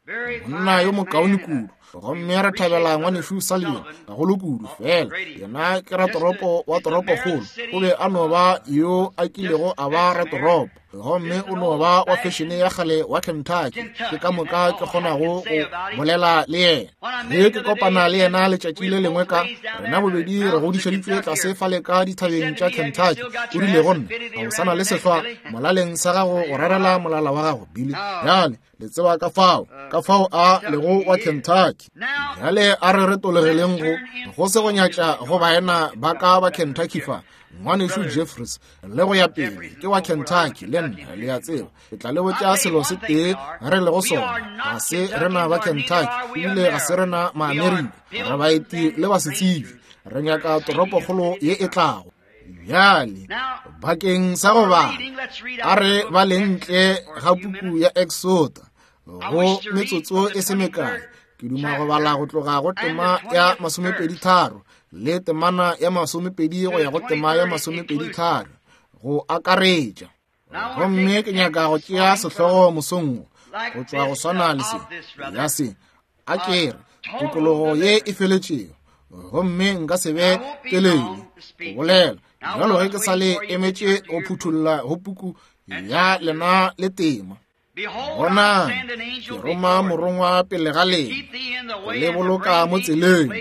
Monna yo mokaone kudu, gomme re thabela ngwanešu Sullivan gagolo kudu. Fela yena ke ratoropo wa toropokgolo, o be a no ba yo a kilego a ba ratoropo, gomme o no ba wa fešene ya kgale wa Kentucky. Ke ka moka ke kgonago go bolela le yena. Ge ke kopana le yena letšatši le lengwe ka rena bobedi re godišeditšwe tlase fale ka dithabeng tša Kentucky, o rile go nna, ga o sana le sehlwa molaleng sa gago go rarela molala wa gago, Billy. Bjale le tseba ka fao ka fao a lego wa Kentucky. Bjale a re retologeleng go go se go nyatša go baena ba ka ba Kentucky fa, ngwanešu Jeffries le go ya pele ke wa Kentucky le nna, le a tseba. Ke tla le botša selo se tee re lego sona, ga se rena ba Kentucky ebile ga se rena Maamerika, re baeti le basetsebi, re nyaka toropokgolo ye e tlago. Bjale bakeng sa go bala a re baleng ntle ga puku ya Exoda go metsotso e se mekae. Ke duma go bala go tloga go tema ya masomepedi tharo le temana ya masomepedi go ya go tema ya masomepedi tharo go akaretša. Gomme ke nyaka go tšea sehlogo mosong go tšwa go swana le se ya se a ke re tokologo ye e feletšego, gomme nka se be telele go bolela bjalo ge ke sa le emetše go phuthulla go puku ya lena le tema. Bonang, ke roma morongwa pele ga lena go le boloka mo tseleng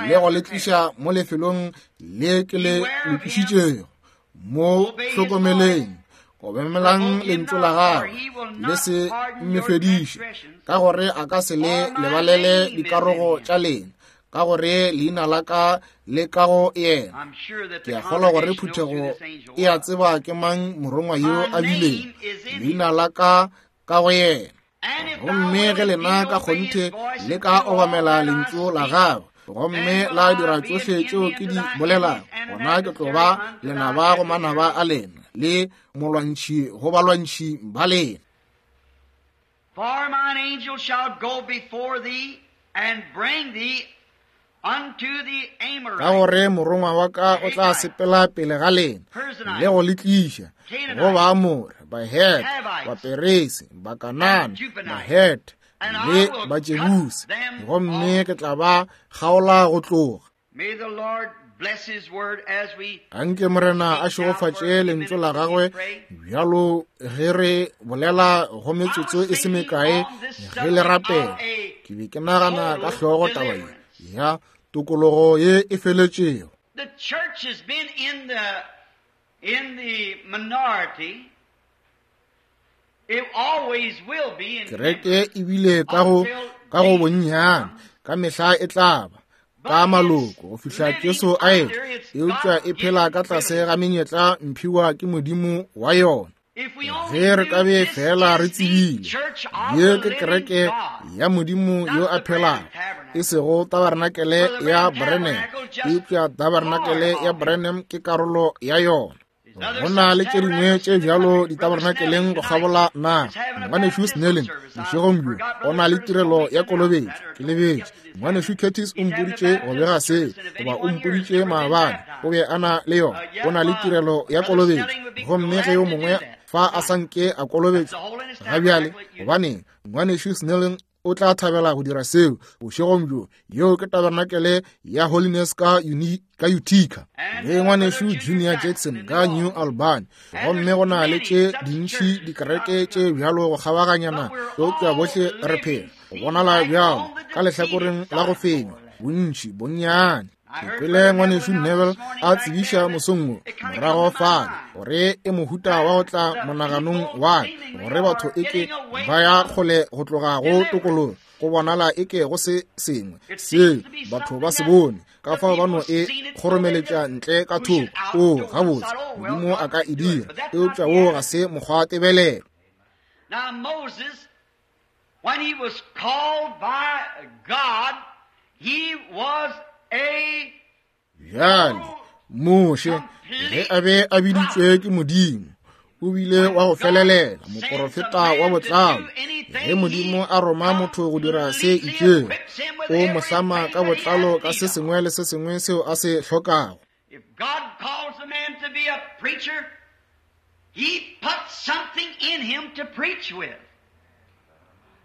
le go le tliša mo lefelong le ke le lokišitšego. Mo hlokomeleng, obamelang lentšu la gagwe, le se mmefediše, ka gore a ka se le lebalele dikarogo tša lena, ka gore leina la ka le ka go yena. Ke a kgolwa gore phuthego e a tseba ke mang morongwa yo a bileng leina la ka ka go yena. Gomme ge lena ka kgonthe le ka obamela lentšu la gagwe gomme la dira tšohle tšeo ke di bolelago, gona ke tlo ba lenaba go manaba a lena le molwantšhi go balwantšhi ba lena. For mine angel shall go before thee and bring thee unto the Amorites. Ka gore morongwa wa ka o tla sepela pele ga lena le go le tliša go Baamore, Bahete, Baperese, Bakanana, Bahete le Bajebuse, gomme ke tla ba kgaola go tloga. May the Lord bless his word as we Anke Morena a šegofatše lentšu la gagwe bjalo ge re bolela go metsotso e se mekae ge le rapela. Ke be ke nagana ka hlogo taba ye ya tokologo ye e feletšego. The church has been in the in the minority. It always will be in Kereke e bile ka go ka go bonnyane ka mehla e tla ba ka maloko go fihla Jesu a etla, eupša e phela ka tlase ga menyetla mphiwa ke Modimo wa yona. Ge re ka be fela re tsebile, ye ke kereke ya Modimo yo a phelago, e sego tabarenakele ya Branham, eupša tabarenakele ya Branham ke karolo ya yona. Go na le tše dingwe tše bjalo ditabarenakeleng go kgabola naga. Ngwanešu Snelling bošegong bjo o na le tirelo ya kolobetšo. Ke lebetše. Ngwanešu Curtis o mpoditše go bega seo, goba o mpoditše maabane, o be a na le yona. O na le tirelo ya kolobetšo, gomme ge yo mongwe fa a sa nke a kolobetšwa ga bjale, gobaneng, ngwanešu Snelling o tla thabela go dira seo bošegong bjo. Yeo ke tabernacle ya Holiness ka, uni, ka Utica, le ngwanešu Junior Jackson ka New Albany. Gomme go na le tše dintši dikereke tše bjalo go kgabaganyana, eupša bohle re phela go bonala bjalo ka lehlakoreng la go fenywa, bontši bonnyane. Ke kwele ngwanešu Neville a tsebiša mosong wo morago fale gore e mohuta wa go tla monaganong wa ka, gore batho eke ba ya kgole go tloga go tokologo, go bonala eke go se sengwe seo batho ba se bone, ka fao ba no e kgoromeletša ntle ka thoko. O gabotse, Modimo a ka e dira, eupša wo ga se mokgwa tebelelo. Now Moses, when he was called by God, he was a Bjale Moshe ge a be a biditšwe ke Modimo, o bile wa go felelela, moporofeta wa botlalo. Ge Modimo a roma motho go dira se itšego, o mo hlama ka botlalo ka se sengwe le se sengwe seo a se hlokago. If God calls a man to be a preacher, he puts something in him to preach with.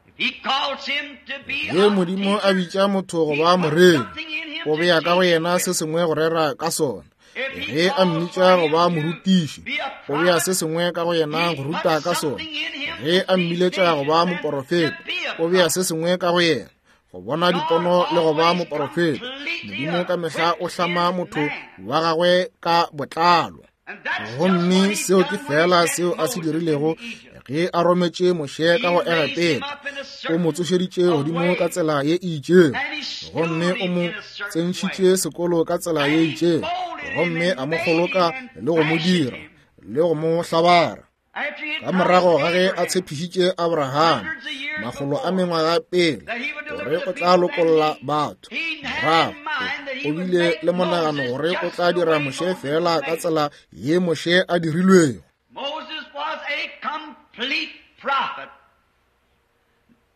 If he calls him to be Ge a Modimo a teacher, bitša motho go he ba puts moreri, something in him o to bea ka go teach yena with. se sengwe go rera ka sona. If he Ge a calls mmitša for go him ba to morutiši, be a o bea prophet, se sengwe ka go yena he go ruta puts ka sona. something in him Ge to a see mmiletša go ba visions and to moporofeta, be a o bea prophet. se sengwe ka go yena go bona God dipono le go ba always moporofeta. completely Modimo ka mehla o equips hlama his motho man. wa gagwe ka botlalo. And that's just what Gomme he seo ke done when he fela sent seo a se Moses dirilego into Egypt. ge a rometše Moshe ka go He raised him Egepeta. up in a O mo certain tsošeditše a godimo ka way, tsela ye e itšego, and he schooled gomme o him mo in a certain way, tsentšhitše sekolo ka tsela ye and he itšego, molded him gomme and a mo made him kgoloka and le go mo fashioned dira him. le go mo hlabara. After he had Ka morago promised ga ge a Abraham tshepišitše Abraham hundreds of years makgolo a before mengwaga pele that he would gore deliver the o tla people that lokolla he batho, he had morago in mind that o he would bile make le monagano Moses gore o just tla the dira way Moshe Moses was fela ka made. tsela ye Moshe a dirilwego. Moses was a complete prophet.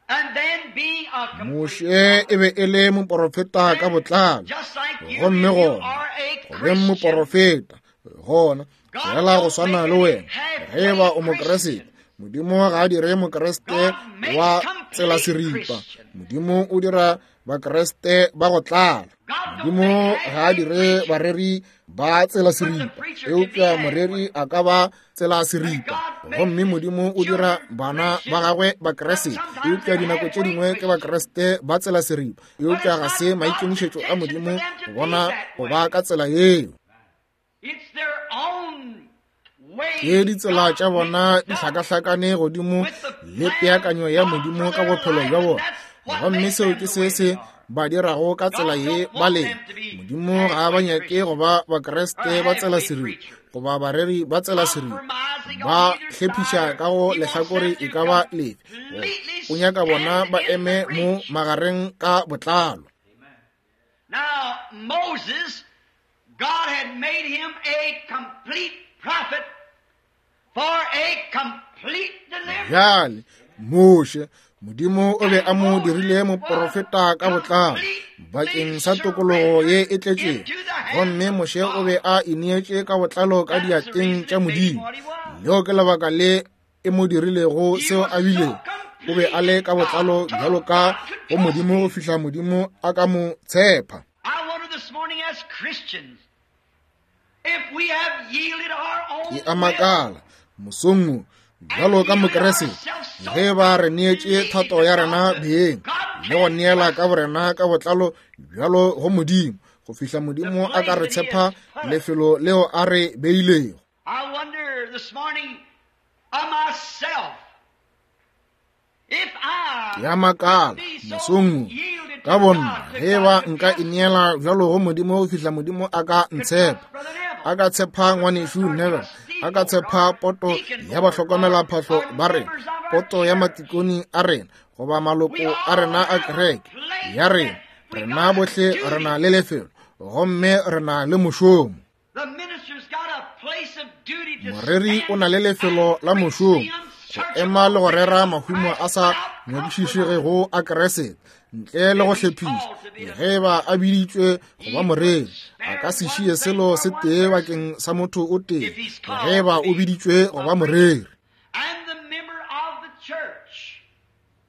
And then being a complete Moshe e prophet, be e le moporofeta ka then botlalo, just like you, gomme if you gona are a go beng Christian, moporofeta, gona God fela go don't swana make le any wena, ge e ba halfway o Mokreste, Christian. Modimo ga a dire Mokreste God makes wa tsela complete seripa. Christians. Modimo o dira Bakreste ba go tlala. God don't Modimo make ga a halfway dire preachers, bareri ba tsela but the seripa, preacher can be eupša moreri halfway. a ka ba tsela And seripa. God makes Gomme his Modimo o dira children bana ba Christians, gagwe but Bakreste, sometimes eupša they're dinako tše halfway dingwe ke Christians. Bakreste ba tsela seripa, But eupša it's ga not se God's maikemišetšo a intention for Modimo them to go be bona that go way. ba ka tsela yeo. It's their own Ke ways ditsela God tša bona mixed di up hlakahlakane godimo with the le plan of peakanyo ya God for Modimo ka their bophelo life, bja and bona, that's what gomme makes seo them ke the se way they se are. ba dirago ka tsela God ye don't ba want leng. them to be Modimo ga a ba halfway nyake go Christians ba or Bakreste ba tsela halfway seripa preachers, goba bareri ba tsela seripa, compromising on ba either hlephiša side. ka go He wants lehlakore them e to ka ba lefe. Go completely o nyaka bona stand ba in the eme mo breach. magareng ka botlalo. Now, Moses, God had made him a complete prophet for a complete deliverance. Bjale Moshe, Modimo o be And a mo Moses dirile was moporofeta ka botlalo bakeng completely sa tokologo ye surrendered e tletšego, into the hands gomme of Moshe o be God. a ineetše ka botlalo ka That's the diatleng reason tša it made him Modimo. what he was. Leo ke lebaka le e mo dirilego He seo was a so bilego. O be a le completely ka botlalo God, bjalo told ka God could go trust Modimo go him. fihla Modimo a ka mo tshepa. I wonder this morning as Christians, if we have yielded our Ke own a will makala mosong wo and bjalo ka yielded Mokreste, ourselves so ge ba re neetše completely thato to ya God rena that beng God le go can't neela trust ka borena ka botlalo bjalo go Modimo go fihla the Modimo a ka place re that He tshepa has put us. lefelo leo a re beilego. I wonder this morning of myself if Ke I a makala could be so mosong wo yielded ka to bonna God that ge God ba could nka trust me, ineela bjalo go Modimo go fihla Modimo a ka could ntshepa, trust Brother a Neville, ka tshepa could trust ngwanešu our Neville, A ka tshepa poto ya bahlokomelaphahlo ba rena, poto ya matikoni a rena, goba maloko a rena a kereke ya rena. Rena bohle re na le lefelo, gomme re na le mošomo. Moreri o na le lefelo la mošomo go ema le go rera mahumo a sa nyakišišegego a Kriste ntle le go hlephiša. Ge ba a biditšwe go ba moreri, a ka se šie selo se tee bakeng sa motho o tee ge ba o biditšwe go ba moreri.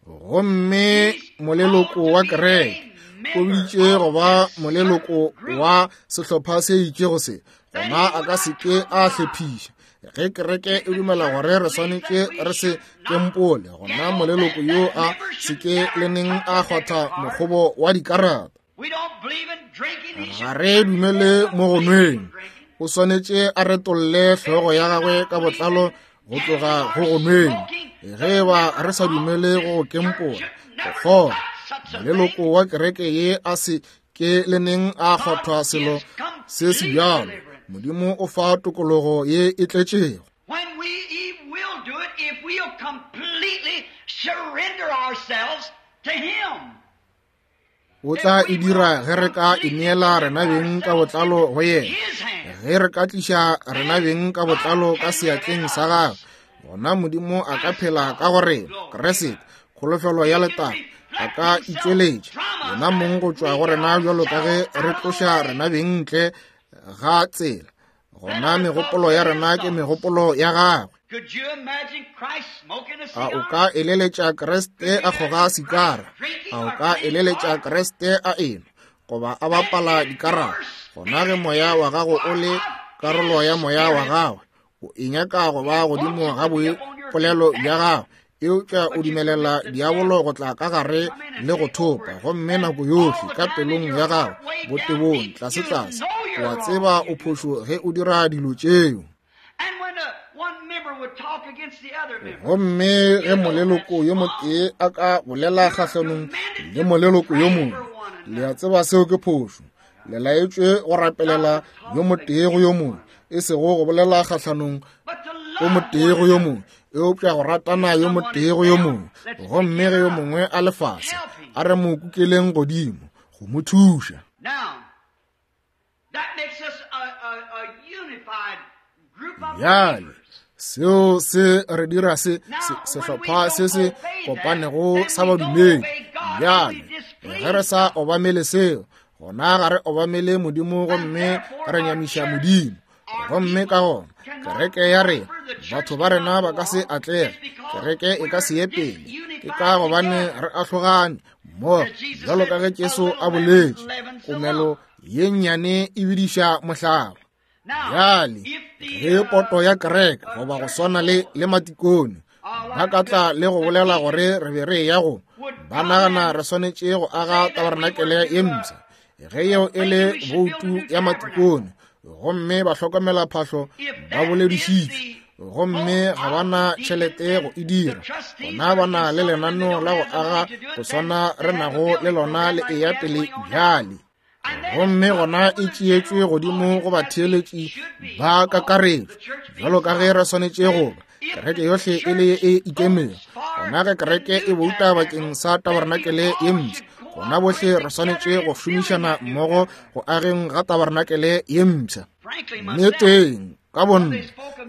Gomme moleloko wa kereke o biditšwe go ba moleloko wa sehlopha se itšego se, gona a ka se ke a hlephiša. Ge kereke e dumela gore re swanetše re se kempole, gona moleloko yo a se ke le neng a kgwatha mokgobo wa dikarata. Ga re dumele mo go nweng. O swanetše a retolle hlogo ya gagwe ka botlalo go tloga go go nweng. Ge ba re sa dumele go go kempola, go kgoga, moleloko wa kereke ye a se ke le neng a kgwathwa selo se se bjalo. Modimo o fa tokologo ye e tletšego. O tla e dira ge re ka ineela rena beng ka botlalo go yena. Ge re ka tliša rena beng ka botlalo ka seatleng sa gagwe, gona Modimo a ka phela ka go rena. Kriste, kholofelo ya letago, a ka itšweletša yena mong go tšwa go rena bjalo ka ge re tloša rena beng ntle ga tsela. Gona megopolo ya rena ke megopolo ya gagwe. A o ka eleletša Kriste a kgoga sikara? A o ka eleletša Kriste a enwa goba a bapala dikarata? Gona ge moya wa gago o le karolo ya moya wa gagwe, o e nyaka go ba godimo ga boipolelo bja gago, eupša o dumelela diabolo go tla ka gare le go thopa, gomme nako yohle ka pelong ya gago botebong tlase-tlase o a tseba o phošo ge o dira dilo tšeo. Gomme ge moleloko yo motee a ka bolela kgahlanong le moleloko yo mongwe, le a tseba seo ke phošo. Le laetšwe go rapelela yo motee go yo mongwe, e sego go bolela kgahlanong o motee go yo mongwe, eupša go ratana yo motee go yo mongwe. Gomme ge yo mongwe a le fase, a re mo kukeleng godimo go mo thuša. Bjale seo se re dira se sehlopha se se kopanego sa badumedi. Bjale ge re sa obamele seo, gona ga re obamele Modimo gomme re nyamiša Modimo. Gomme ka gona kereke ya rena, batho ba rena ba ka se atlege, kereke e ka se ye pele. Ke ka gobane re ahlogane mmogo, bjalo ka ge Jesu a boletše, komelo ye nnyane e bidiša mohlaba. Bjale ge poto ya kereke goba go swana le le matikone ba ka tla le go bolela gore re be re ya go, ba nagana re swanetše go aga tabarenakele ye mpsha. Ge yeo e le boutu ya matikone, gomme ba hlokomela phahlo ba boledišitše, gomme ga ba na tšhelete go e dira, gona ba na le lenaneo la go aga go swana re nago le lona le eya pele bjale. Gomme gona e tšeetšwe godimo go batheeletši ba kakaretšo, bjalo ka ge re swanetše go ba kereke yohle e le e ikemego. Gona ge kereke e bouta bakeng sa tabarenakele ye mpsha, gona bohle re swanetše go šomišana mmogo go ageng ga tabarenakele ye mpsha. Nneteng ka bonna,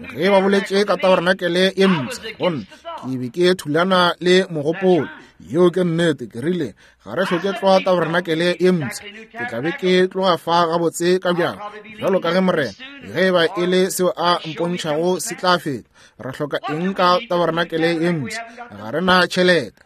ge ba boletše ka tabarenakele ye mpsha, gonna ke be ke thulana le mogopolo. Yeo ke nnete. Ke rile ga re hloke tloga tabarenakele ye mpsha, ke tla be ke tloga fa gabotse ka bjang, bjalo ka ge Morena ge ba e le seo a mpontšhago se tla feta. Re hloka eng ka tabarenakele ye mpsha? Ga re na tšhelete.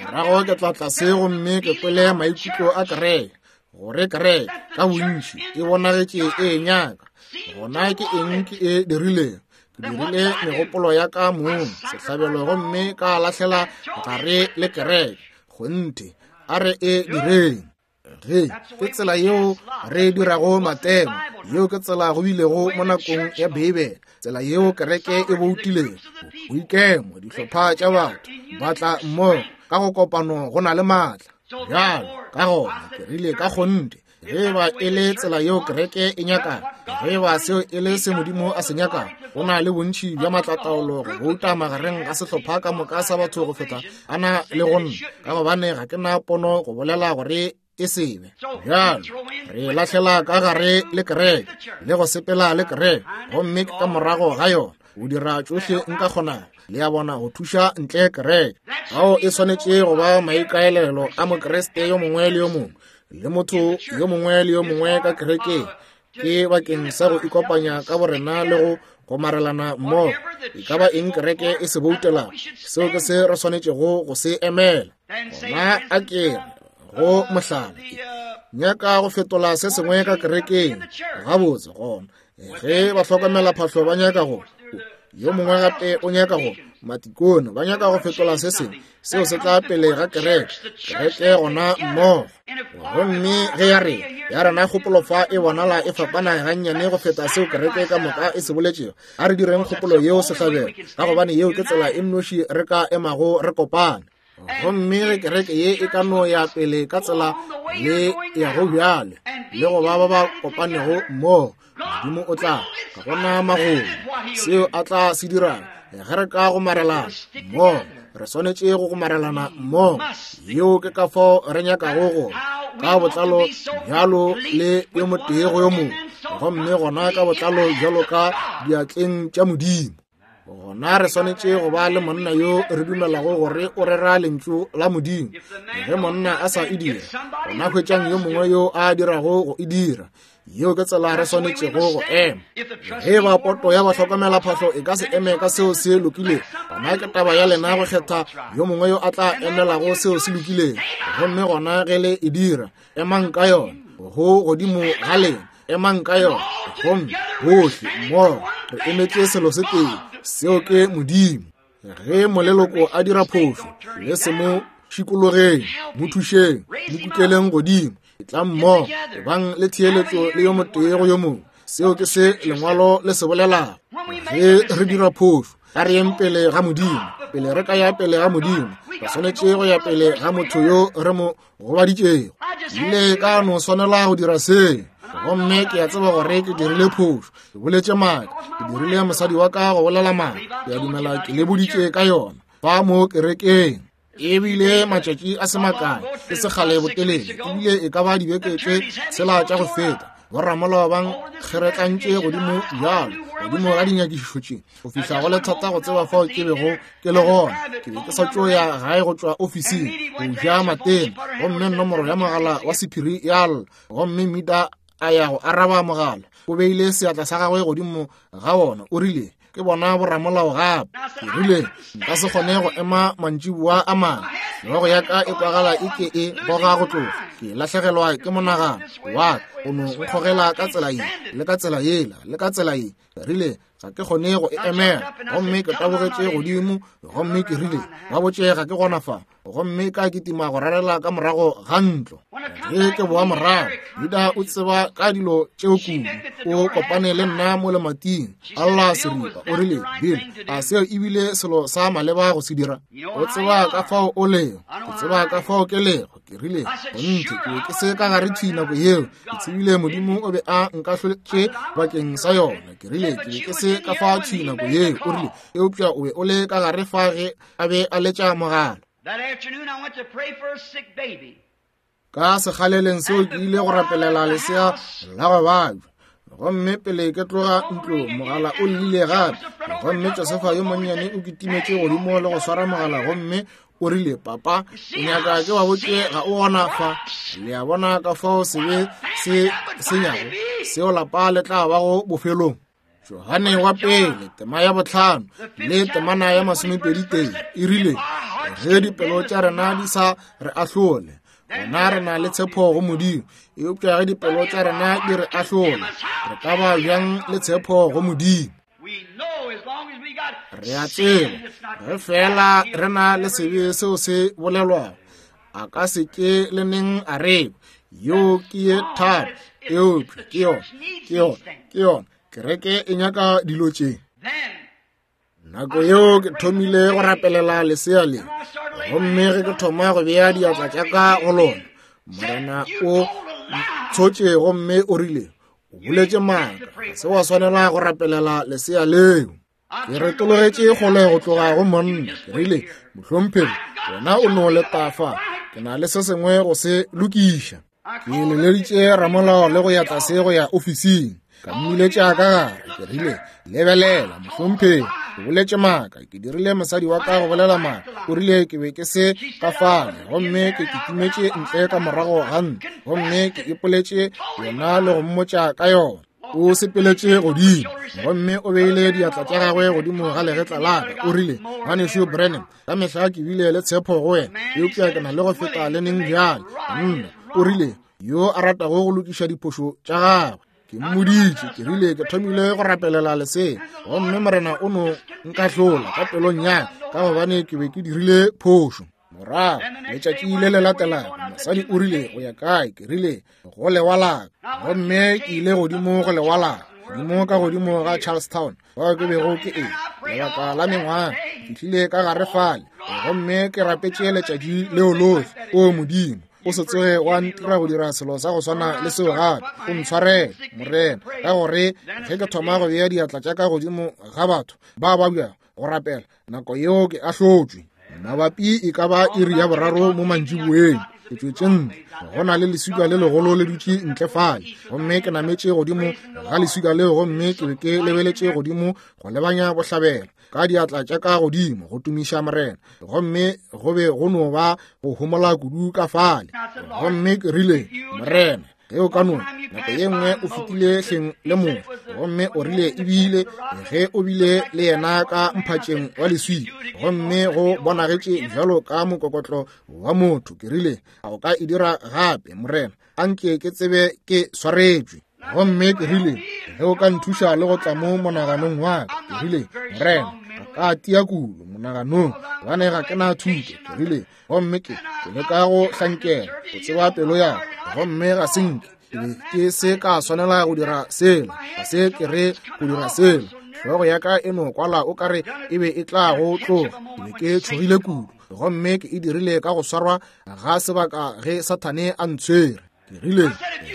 Morago ke tla tlase gomme ke kwele maikutlo a kereke, gore kereke ka bontši e bonagetše e nyaka. Gona ke eng ke e dirilego? Ke dirile megopolo ya ka mong sehlabelo gomme ka lahlela gare le kereke. Kgonthe, a re e direng. Ge ke tsela yeo re dirago matemo, yeo ke tsela go bilego mo nakong ya Beibele, tsela yeo kereke e boutilego, boikemo, dihlopha tša batho ba tla mmogo ka go kopano go na le maatla. Bjalo ka gona ke rile ka kgonthe, ge ba e le tsela yeo kereke e nyakago, ge ba seo e le se Modimo a se nyakago, O na le bontši bja maatlataolo go bouta magareng ga sehlopha ka moka sa batho go feta a na le go nna, ka gobane ga ke na pono go bolela gore e sebe. Bjalo re lahlela ka gare le kereke le go sepela le kereke, gomme ke ka morago ga yona o dira tšohle nka kgonago, le a bona, go thuša ntle kereke. Ao e swanetše go ba maikaelelo a Mokriste yo mongwe le yo mongwe le motho yo mongwe le yo mongwe ka kerekeng, ke bakeng sa go ikopanya ka borena le go gomarelana mmogo. E ka ba eng kereke e se boutelago, seo ke se re swanetšego go se emela. Gona a ke re go mohlala, nyaka go fetola se sengwe ka kerekeng, gabotse gona ge ba hlokomela phahlo ba nyaka go, yo mongwe gape o nyaka go, matikone ba nyaka go fetola se sengwe, seo se tla pele ga kereke, kereke gona mmogo. Gomme ge ya re ya rena kgopolo fa e bonala e fapana gannyane go feta seo kereke ka moka e se boletšego, a re direng kgopolo yeo sehlabelo, ka gobane yeo ke tsela e nnoši re ka emago re kopane. Gomme ge kereke ye e ka no ya pele ka tsela le ya go bjale le go ba ba ba kopanego mmogo, Modimo o tla ka bona magolo seo a tla se dirang ge re ka gomarelana mmogo. Re swanetše go gomarelana mmogo. Yeo ke ka fao re nyakago go ka botlalo bjalo le yo motee go yo mongwe, gomme gona ka botlalo bjalo ka diatleng tša Modimo. Gona re swanetše go ba le monna yo re dumelago gore o rera lentšu la Modimo. Ge monna a sa e dira, gona hwetšang yo mongwe yo a dirago go e dira. Yeo ke tsela re swanetšego go ema. Ge ba poto ya bahlokomela phahlo e ka se eme ka seo se lokilego, gona ke taba ya lena go kgetha yo mongwe yo a tla emelago seo se lokilego. Gomme gona ge le e dira, emang ka yona, go godimo ga lena, emang ka yona. Gomme bohle mmogo re emetše selo se tee, seo ke Modimo. Ge moleloko a dira phošo, le se mo šikologeng, mo thušeng, mo kukeleng godimo, etlang mmogo, ebang le theeletšo le yo motee go yo mongwe. Seo ke se lengwalo le se bolelago. Ge re dira phošo, a re yeng pele ga Modimo. Pele re ka ya pele ga Modimo, re swanetše go ya pele ga motho yo re mo gobaditšego. Ile ka no swanela go dira se, gomme ke a tseba gore ke dirile phošo, ke boletše maaka, ke dirile mosadi wa ka go bolela maaka, ke a dumela ke le boditše ka yona fa mo kerekeng. Ebile matšatši a se makae ke sekgale botelele, ebile e ka ba dibeke tše tshela tša go feta, boramolao ba nkgeretlantše godimo bjalo godimo ga dinyakišišo tše go fihla go le thata go tseba fao ke bego ke le gona. Ke be ke sa tšo ya gae go tšwa ofising go ja matena, gomme nomoro ya mogala wa sephiri ya lla, gomme Mita a ya go araba mogala. O beile seatla sa gagwe godimo ga wona, o rile, ke bona boramolao gape. Ke rile, nka se kgone go ema mantšiboa a mangwe, hlogo ya ka e kwagala e ke e goga go tloga, ke lahlegelwa ke monagano wa ka, o no nkgogela ka tsela ye le ka tsela yela le ka tsela ye. Ke rile, ga ke kgone go e emela. Gomme ke tabogetše godimo, gomme ke rile, ba botše ga ke gona fa, gomme ka kitima go rarela ka morago ga ntlo. Ge ke boa morago, Juda o tseba ka dilo tšeo kudu, o kopane le nna mo lemating, a lla seripa, o rile, Bill, a seo ebile selo sa maleba go se dira? O tseba ka fao o lego, ke tseba ka fao ke lego. Ke rile, kgonthe ke be ke se ka gare thwi nako yeo, ke tsebile Modimo o be a nkahloletše bakeng sa yona. Ke rile, ke be ke se ka fa thwi nako yeo. O rile, eupša o be o le ka gare fa ge a be a letša mogala. Ka sekgaleleng seo ke ile go rapelela lesea la go babja, gomme pele ke tloga ntlo mogala o llile gape, gomme Josefa yo monnyane o kitimetše godimo le go swara mogala, gomme o rile, papa, o nyaka ke ba botše ga o gona fa. Le a bona ka fao sebe se senyago seo lapa le tla bago bofelong. Johane wa pele tema ya bohlano le temana ya masomepedi tee e rile, ge dipelo tša rena di sa re ahlole, gona re na le tshepo go Modimo, eupša ge dipelo tša rena di re ahlole, re ka ba bjang le tshepo go Modimo? Re a tseba ge fela re na le sebe seo se bolelwago, a ka se ke le neng a re yo ke ye thata, eupša ke yona, ke yona, ke yona kereke e nyaka dilo tše. Nako yeo ke thomile go rapelela lesea le, gomme ge ke thoma go bea diatla tša ka go lona, Morena o tshotše gomme o rile, O boletše maaka, ga se wa swanela go rapelela lesea leo. Ke retologetše kgole go tloga go monna. Ke rile, mohlomphegi, wena o no leta fa, ke na le se sengwe go se lokiša. Ke leleditše ramolao le go ya tlase go ya ofising. Ka mmiletša ka gare. Ke rile, lebelela, mohlomphegi, ke boletše maaka, ke dirile mosadi wa ka go bolela maaka. O rile ke be ke se ka fale, gomme ke kitimetše ntle ka morago ga ntlo, gomme ke ipoletše yona le go mmotša ka yona. O sepeletše godimo, gomme o beile diatla tša gagwe godimo ga legetla la ka. O rile, ngwanešu Branham, ka mehla ke bile le tshepo go wena, eupša ke na le go feta le neng bjale. Nna, o rile, yo a ratago go lokiša diphošo tša gagwe. Ke mmoditše, ke rile ke thomile go rapelela lesea, gomme morena o no nkahlola ka pelong ya ka gobane ke be ke dirile phošo. Morago letšatši le le latelago, mosadi o rile, go ya kae? Ke rile, go lewa la ka. Gomme ke ile godimo go lewa la ka, godimo ka godimo ga Charlestown, fao ke bego ke e lebaka la mengwaga. Ke fihlile ka gare fale, gomme ke rapetše letšatši leo lohle. O Modimo, o se tsoge wa ntira go dira selo sa go swana le seo gape. O ntshwarele, Morena, ka gore ge ke thoma go bea diatla tša ka godimo ga batho ba babjago go rapela, nako yeo ke ahlotšwe. Mabapi e ka ba iri ya boraro mo mantšiboeng, ke tšwetše ntle. Go na le leswika le legolo le dutše ntle fale, gomme ke nametše godimo ga leswika leo, gomme ke be ke lebeletše godimo go lebanya bohlabela ka diatla tša ka godimo go tumiša Morena, gomme go be go no ba go homola kudu ka fale. Gomme ke rile, Morena, ge o ka no nako ye nngwe o fetile hleng le motho, gomme o rile ebile ge o bile le yena ka mphatšeng wa leswika, gomme go bonagetše bjalo ka mokokotlo wa motho. Ke rile, a o ka e dira gape, Morena? Anke ke tsebe ke swaretšwe. Gomme ke rile, ge o ka nthuša le go tla mo monaganong wa ka. Ke rile, Morena, ga ka tia kudu monaganong, gobane ga ke na thuto. Ke rile, gomme ke ke leka go hlankela go tseba pelo ya ka, gomme ga se nke ke be ke se ka swanela go dira sela, ga se ke re go dira sela. Hlogo ya ka e no kwala o kare e be e tla go tloga. Ke be ke tšhogile kudu, gomme ke e dirile ka go swarwa ga sebaka ge Sathane a ntshwere. Ke rile,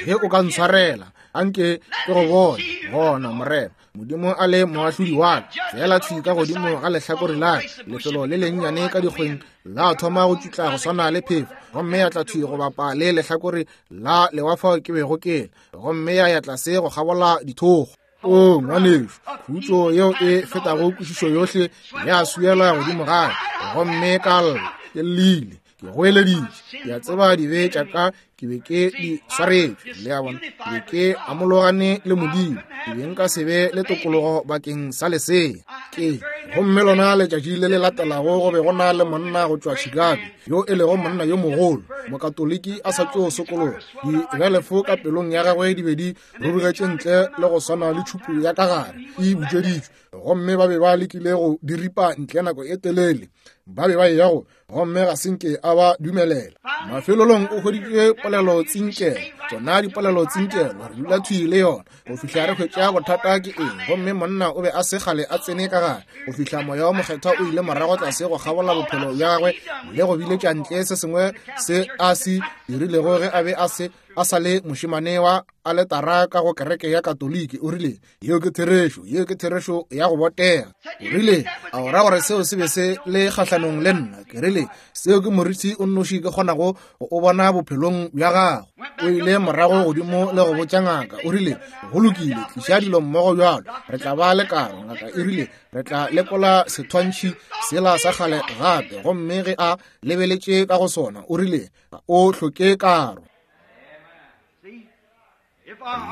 ge o ka ntshwarela, anke ke go bone gona, Morena Modimo a le moahlodi wa ka. Feela thwi ka godimo ga lehlakore la ka, lefelo le lennyane ka dikgweng la thoma go tšutla go swana le phefo, gomme ya tla thwi go bapa le lehlakore la lewa fao ke bego ke le, gomme ya ya tlase go kgabola dithogo. O ngwanešu, khutšo yeo e fetago kwešišo yohle ya swiela godimo ga ka, gomme ka lla, ke llile, ke goeleditše. Ke a tseba dibe tša ka ke be ke di swaretšwe, le a bona, ke be ke amologane le Modimo, ke be nka se be le tokologo bakeng sa lesea. Ke gomme lona letšatši le le latelago go be go na le monna go tšwa Chicago, yo e lego monna yo mogolo, mokatoliki a sa tšo sokologa. Dibelefo ka pelong ya gagwe di be di rurugetše ntle le go swana le tšhupu ya ka gare e butšweditšwe, gomme ba be ba lekile go di ripa ntle nako e telele. Ba be ba eya go, gomme ga se nke a ba dumelela. Mafelelong o hweditše polelo tsinkelo, tšona dipolelo tsinkelo, re dula thwi le yona go fihla re hwetša bothata ke eng. Gomme monna o be a se kgale a tsene ka gare go fihla moya wa mokgethwa o ile morago tlase go kgabola bophelo bja gagwe le go biletša ntle se sengwe se a se dirilego ge a be a se a sa le mošemane wa aletara ka go kereke ya Katoliki. O rile, yeo ke therešo, yeo ke therešo ya go botega. O rile, a o ra gore seo se be se le kgahlanong le nna? Ke rile, seo ke moriti o nnoši ke kgonago go o bona bophelong bja gago. O ile morago godimo le go botša ngaka. O rile, go lokile, tliša dilo mmogo bjalo, re tla ba le karo. Ngaka e rile, re tla lekola sethwantšhi sela sa kgale gape. Gomme ge a lebeletše ka go sona, o rile, o hloke karo.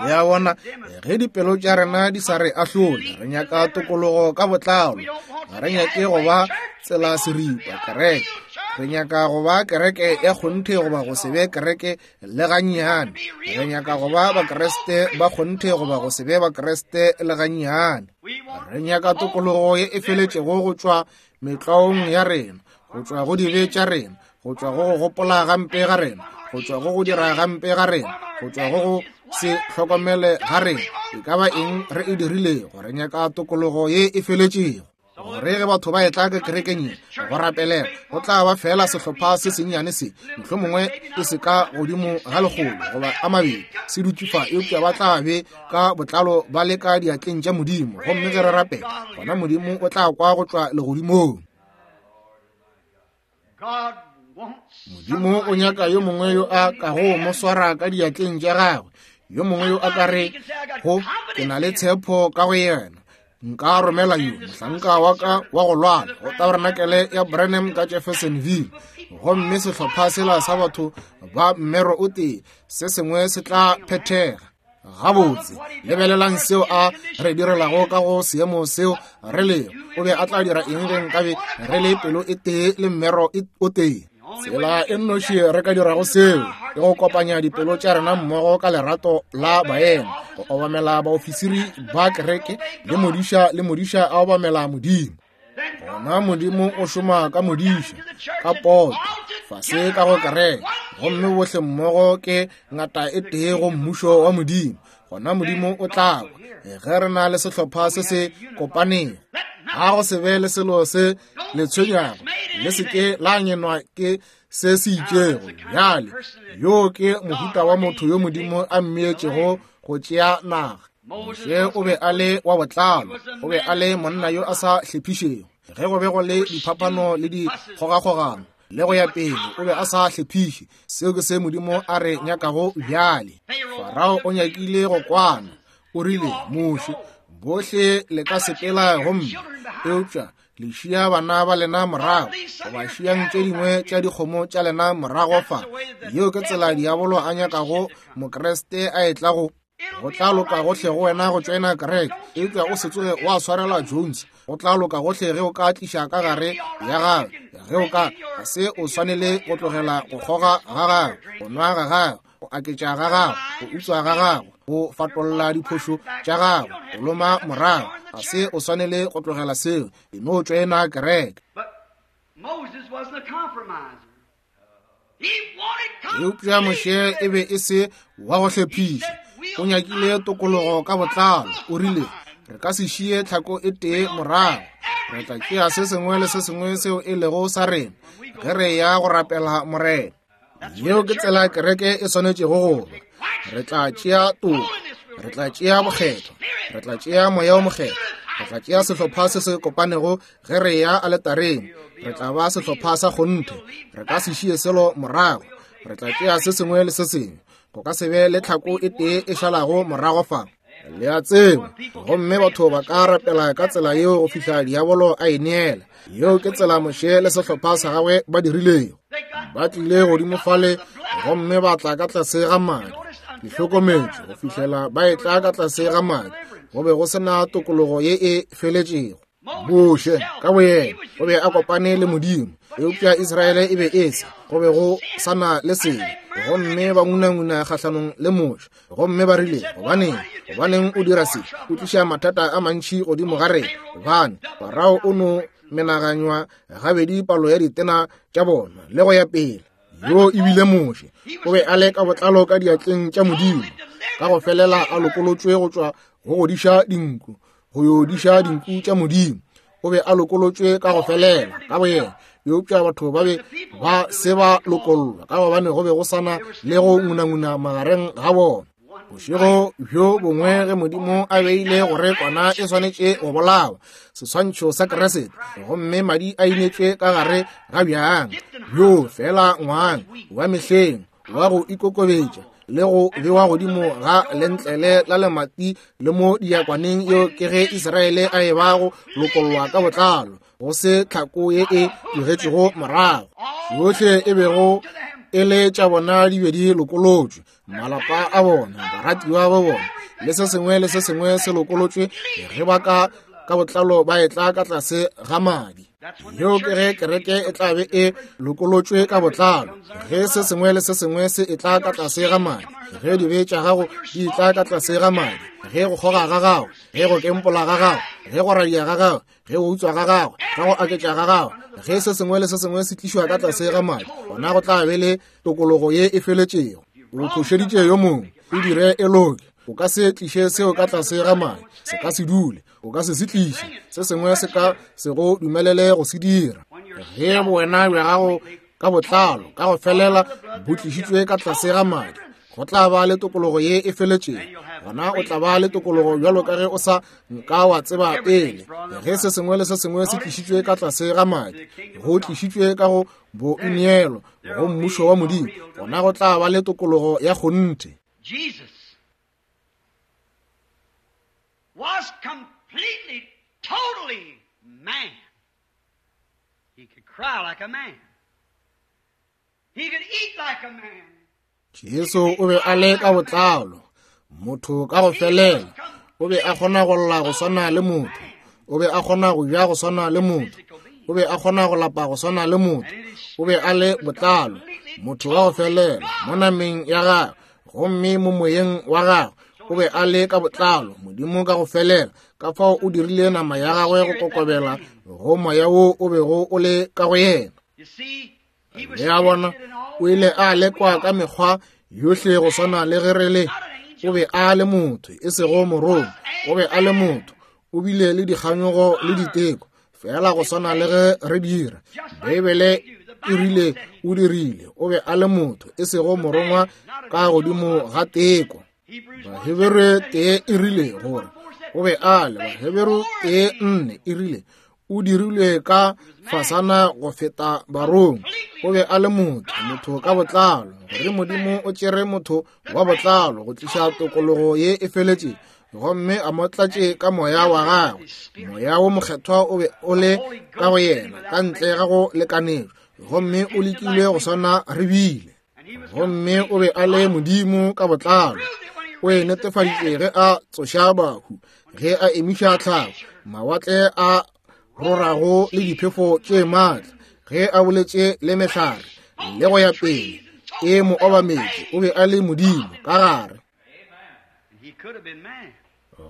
Le a bona, ge dipelo tša rena di sa re ahlole, re nyaka tokologo ka botlalo. Ga re nyake go ba tsela seripa kereke, re nyaka go ba kereke ya kgonthe goba go se be kereke le gannyane. Re nyaka go ba Bakriste ba kgonthe goba go se be Bakriste le gannyane. Re nyaka tokologo ye e feletšego go tšwa metlwaong ya rena, go tšwa go dibe tša rena, go tšwa go go gopola gampe ga rena, go tšwa go go dira gampe ga rena, go tšwa go go se hlokomele ga rena. E ka ba eng re e dirilego, re nyaka tokologo ye e feletšego. Gore ge batho ba etla ka kerekeng ye go rapelela, go tla ba fela sehlopha se sennyane se, mohlomongwe e se ka godimo ga lekgolo goba a mabedi se dutše fa, eupša ba tla be ka botlalo ba le ka diatleng tša Modimo. Gomme ge re rapela, gona Modimo o tla kwa go tšwa legodimong. Modimo o nyaka yo mongwe yo a kago mo swara ka diatleng tša gagwe, yo mongwe yo a ka re go ke na le tshepo ka go yena. Nka romela yo mohlanka wa ka wa go lwala go tabernacle ya Branham ka Jeffersonville, gomme sehlopha sela sa batho ba mmero o tee se sengwe se tla phethega. Gabotse, lebelelang seo a re direlago ka go seemo seo re lego. O be a tla dira eng ge nkabe re le pelo e tee le mmero o tee? Tsela e nnoši re ka dirago seo ke go kopanya dipelo tša rena mmogo ka lerato la baena, go obamela baofisiri ba kereke le modiša, le modiša a obamela Modimo. Gona Modimo o šoma ka modiša, ka poto, fase ka go kereke, gomme bohle mmogo ke ngata e tee go mmušo wa Modimo. Gona Modimo o tla kwa ge re na le sehlopha se se kopanego. Ga go se be le selo se le tshwenyago, le se ke la nyenwa ke se se itšego. Bjale yo ke mohuta wa motho yo Modimo a mmeetšego go tšea naga. Moshe o be a le wa botlalo, o be a le monna yo a sa hlephišego. Ge go be go le diphapano le dikgogakgogano le go ya pele, o be a sa hlephiše. Seo ke se Modimo a re nyakago bjale. Farao o nyakile go kwana, o rile, Moshe, bohle le ka sepela gomme, eupša le šia bana ba lena morago, goba šiang tše dingwe tša dikgomo tša lena morago fa. Yeo ke tsela diabolo a nyakago Mokreste a etla go. Go tla loka gohle go wena go tšoena kereke, eupša o se tsoge wa swarela Jones. Go tla loka gohle ge o ka tliša ka gare ya gagwe, ge o ka ga se o swanele go tlogela go kgoga ga gagwe, go nwa ga gagwe, go aketša ga gagwe, go utswa ga gagwe, go fatolla diphošo tša gagwe, go loma morago. Ga se o swanele go tlogela seo, e no tšoena kereke. Eupša Moshe e be e se wa go hlephiša. O nyakile tokologo ka botlalo. O rile, re ka se šie tlhako e tee morago, re tla tšea se sengwe le se sengwe seo e lego sa rena ge re ya go rapela Morena. Yeo ke tsela kereke e swanetšego go ba. Re tla tšea toka, re tla tšea bokgethwa, re tla tšea moya o mokgethwa, re tla tšea sehlopha se se kopanego ge re ya aletareng. Re tla ba sehlopha sa kgonthe, re ka se šie selo morago, re tla tšea se sengwe le se sengwe. Go ka se be le tlhako e tee e šalago morago fa. Le a tseba, gomme batho ba ka rapela ka tsela yeo go fihla diabolo a e neela. Yeo ke tsela Moshe le sehlopha sa gagwe ba dirilego. Ba tlile godimo fale gomme ba tla ka tlase ga madi. Le hlokometše go fihlela ba etla ka tlase ga madi, go be go sena tokologo ye e feletšego. Moshe ka boyena o be a kopane le Modimo, eupša Israele e be e se, go be go sana le selo. Gomme ba ngunanguna kgahlanong le Moshe, gomme ba rile, gobaneng, gobaneng o dira se? O tliša mathata a mantši godimo ga rena. Gobane Farao o no menaganywa gabedi palo ya ditena tša bona le go ya pele. Yo e bile Moshe, o be a le ka botlalo ka diatleng tša Modimo, ka go felela a lokolotšwe go tšwa go godiša dinku, go yo diša dinku tša Modimo. O be a lokolotšwe ka go felela ka boyena, eupša batho ba be ba se ba lokollwa ka gobane go be go sana le go ngunanguna magareng ga bona. Bošego bjo bongwe ge Modimo a beile gore kwana e swanetše go bolawa, seswantšho sa Kriste, gomme madi a inetšwe ka gare ga bjang bjo fela ngwang wa mehleng wa go ikokobetša le go bewa godimo ga lentlele la lemati le mo diakwaneng, yeo ke ge Israele a e ba go lokollwa ka botlalo, go se tlhako ye e tlogetšego morago. Yohle e bego e le tša bona di be di lokolotšwe, malapa a bona, baratiwa ba bona, le se sengwe le se sengwe se lokolotšwe ge ba ka ka botlalo ba etla ka tlase ga madi. Yeo ke ge kereke e tla be e lokolotšwe ka botlalo, ge se sengwe le se sengwe se etla ka tlase ga madi, ge dibe tša gago di etla ka tlase ga madi, ge go kgoga ga gago, ge go kempola ga gago, ge go radia ga gago, ge go utswa ga gago, ka go aketša ga gago, ge se sengwe le se sengwe se tlišwa ka tlase ga madi, gona go tla be le tokologo ye e feletšego. O phošeditše yo mongwe, o dire e loke. O ka se tliše seo ka tlase ga madi, se ka se dule, o ka se se tliše, se sengwe se ka se go dumelele go se dira. Ge bowena bja gago ka botlalo ka go felela bo tlišitšwe ka tlase ga madi, go tla ba le tokologo ye e feletšego. Gona o tla ba le tokologo bjalo ka ge o sa nka wa tseba pele. Ge se sengwe le se sengwe se tlišitšwe ka tlase ga madi, go tlišitšwe ka go boineelo go mmušo wa Modimo, gona go tla ba le tokologo ya kgonthe. Jesus was completely, totally man. He could cry like a man. He could eat like a man. Jesu o be a le ka botlalo, motho ka go felela. O be a kgona go lla go swana le motho. O be a kgona go ja go swana le motho. O be a kgona go lapa go swana le motho. O be a le botlalo, motho wa go felela mo nameng ya gagwe, gomme mo moyeng wa gagwe o be a le ka botlalo, Modimo ka go felela. Ka fao o dirile nama ya gagwe go kokobela go moya wo o bego o le ka go yena. Le a bona, o ile a lekwa ka mekgwa yohle go swana le ge re le. O be a le motho, e sego morongwa. O be a le motho, o bile le dikganyogo le diteko, fela go swana le ge re dira. Beibele e rile o dirile. O be a le motho, e sego morongwa ka godimo ga teko. Baheberu tee e rile gore o be a le. Baheberu tee nne e rile o dirilwe ka fasana go feta barongwa. O be a le motho, motho ka botlalo, gore Modimo o tšere motho wa botlalo go tliša tokologo ye e feletšego, gomme a mo tlatše ka moya wa gagwe. Moya wo mokgethwa o be o le ka go yena ka ntle ga go lekanetšwa, gomme o lekilwe go swana re bile. Gomme o be a le Modimo ka botlalo. O e netefaditše ge a tsoša bahu, ge a emiša tlhago, mawatle a rorago le diphefo tše maatla, ge a boletše le mehlare le go ya pele, e mo obametše. O be a le Modimo ka gare,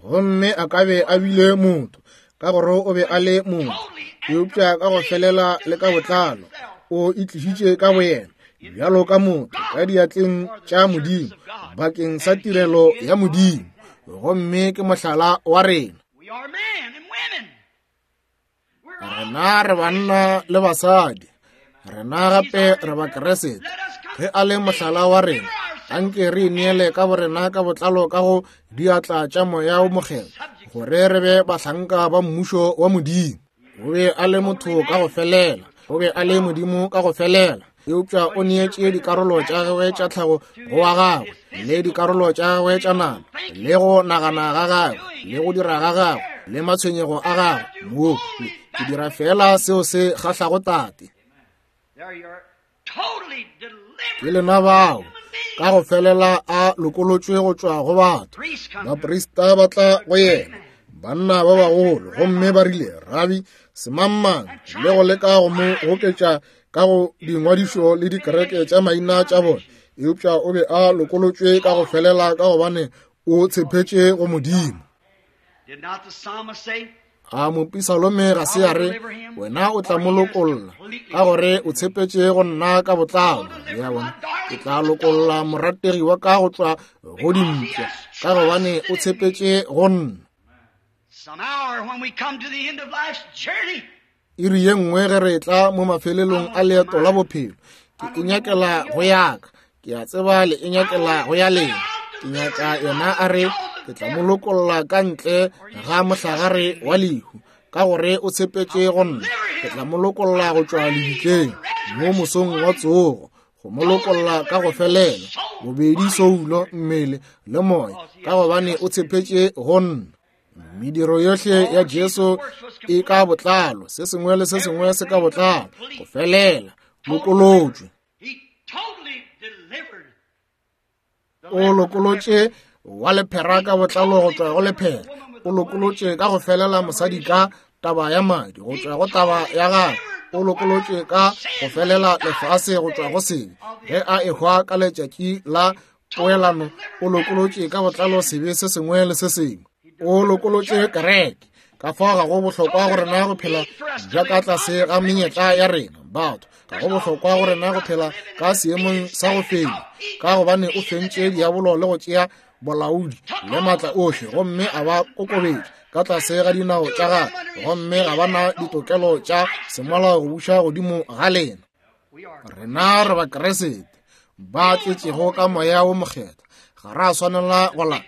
gomme a ka be a bile motho ka gore o be a le motho, eupša ka go felela le ka botlalo o itlišitše ka boyena bjalo ka motho ka diatleng tša Modimo bakeng sa tirelo ya Modimo, gomme ke mohlala wa rena. Rena re banna le basadi, rena gape re Bakeresete. Ge a le mohlala wa rena, anke re ineele ka borena ka botlalo ka go diatla tša moya wo mokgethwa, gore re be bahlanka ba mmušo wa Modimo. O be a le motho ka go felela, o be a le Modimo ka go felela, eupša o neetše dikarolo tša gagwe tša tlhago go wa gagwe, le dikarolo tša gagwe tša nama, le go nagana ga gagwe, le go dira ga gagwe, le matshwenyego a gagwe. Mo ke dira fela seo se kgahlago Tate. Ke lena bao ka go felela a lokolotšwe go tšwa go batho. Baprista ba tla go yena, banna ba bagolo, gomme ba rile, Rabi, semangmang, le go leka go mo goketša ka go dingwadišo le dikereke tša maina tša bona. Eupša o be a lokolotšwe ka go felela ka gobane o tshepetše go Modimo. A mopisalome ga se a re, wena o tla mo lokolla ka gore o tshepetše go nna ka botlalo. Ya bona, ke tla lokolla morategi wa ka go tšwa go dimpša ka gobane o tshepetše go nna. Iri ye nngwe ge re tla mo mafelelong a leeto la bophelo, ke e nyakela go yaka, ke a tseba le e nyakela go ya lena. Ke nyaka yena a re, ke tla mo lokolla ka ntle ga mohlagare wa lehu ka gore o tshepetše go nna. Ke tla mo lokolla go tšwa lebitleng mo mosong wa tsogo, go mo lokolla ka go felela, bobedi soulo, mmele le moya, ka gobane o tshepetše go nna. Mediro yohle ya Jesu e ka botlalo, se sengwe le se sengwe se ka botlalo, go felela, lokolotšwe. O lokolotše wa lephera ka botlalo go tšwa go lephera. O lokolotše ka go felela mosadi ka taba ya madi go tšwa go taba ya gagwe. O lokolotše ka go felela lefase go tšwa go sebe. Ge a ehwa ka letšatši la poelano, o lokolotše ka botlalo sebe se sengwe le se sengwe. O lokolotše kereke. Ka fao ga go bohlokwa go rena go phela bja ka tlase ga menyetla ya rena batho. Ga go bohlokwa go rena go phela ka seemong sa go fenya, ka gobane o fentše diabolo le go tšea bolaodi le maatla ohle, gomme a ba kokobetša ka tlase ga dinao tša gagwe, gomme ga ba na ditokelo tša semolao go buša godimo ga lena. Rena re Bakriste ba tletšego ka Moya wo Mokgethwa, ga ra swanela go la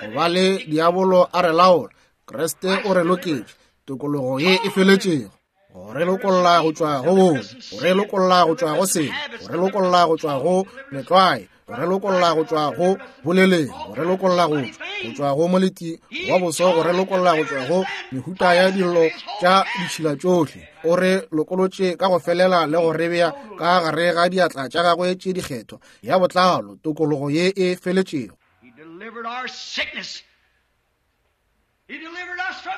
go ba le diabolo a re laola. Kriste o re loketše tokologo ye e feletšego, go re lokolla go tšwa go bobe, go re lokolla go tšwa go sebe, go re lokolla go tšwa go metlwae, go re lokolla go tšwa go boleleng, go re lokolla go tšwa go tšwa go moleti wa boso, go re lokolla go tšwa go mehuta ya dillo tša ditšhila tšohle. O re lokolotše ka go felela le go re bea ka gare ga diatla tša gagwe tše dikgethwa ya botlalo, tokologo ye e feletšego.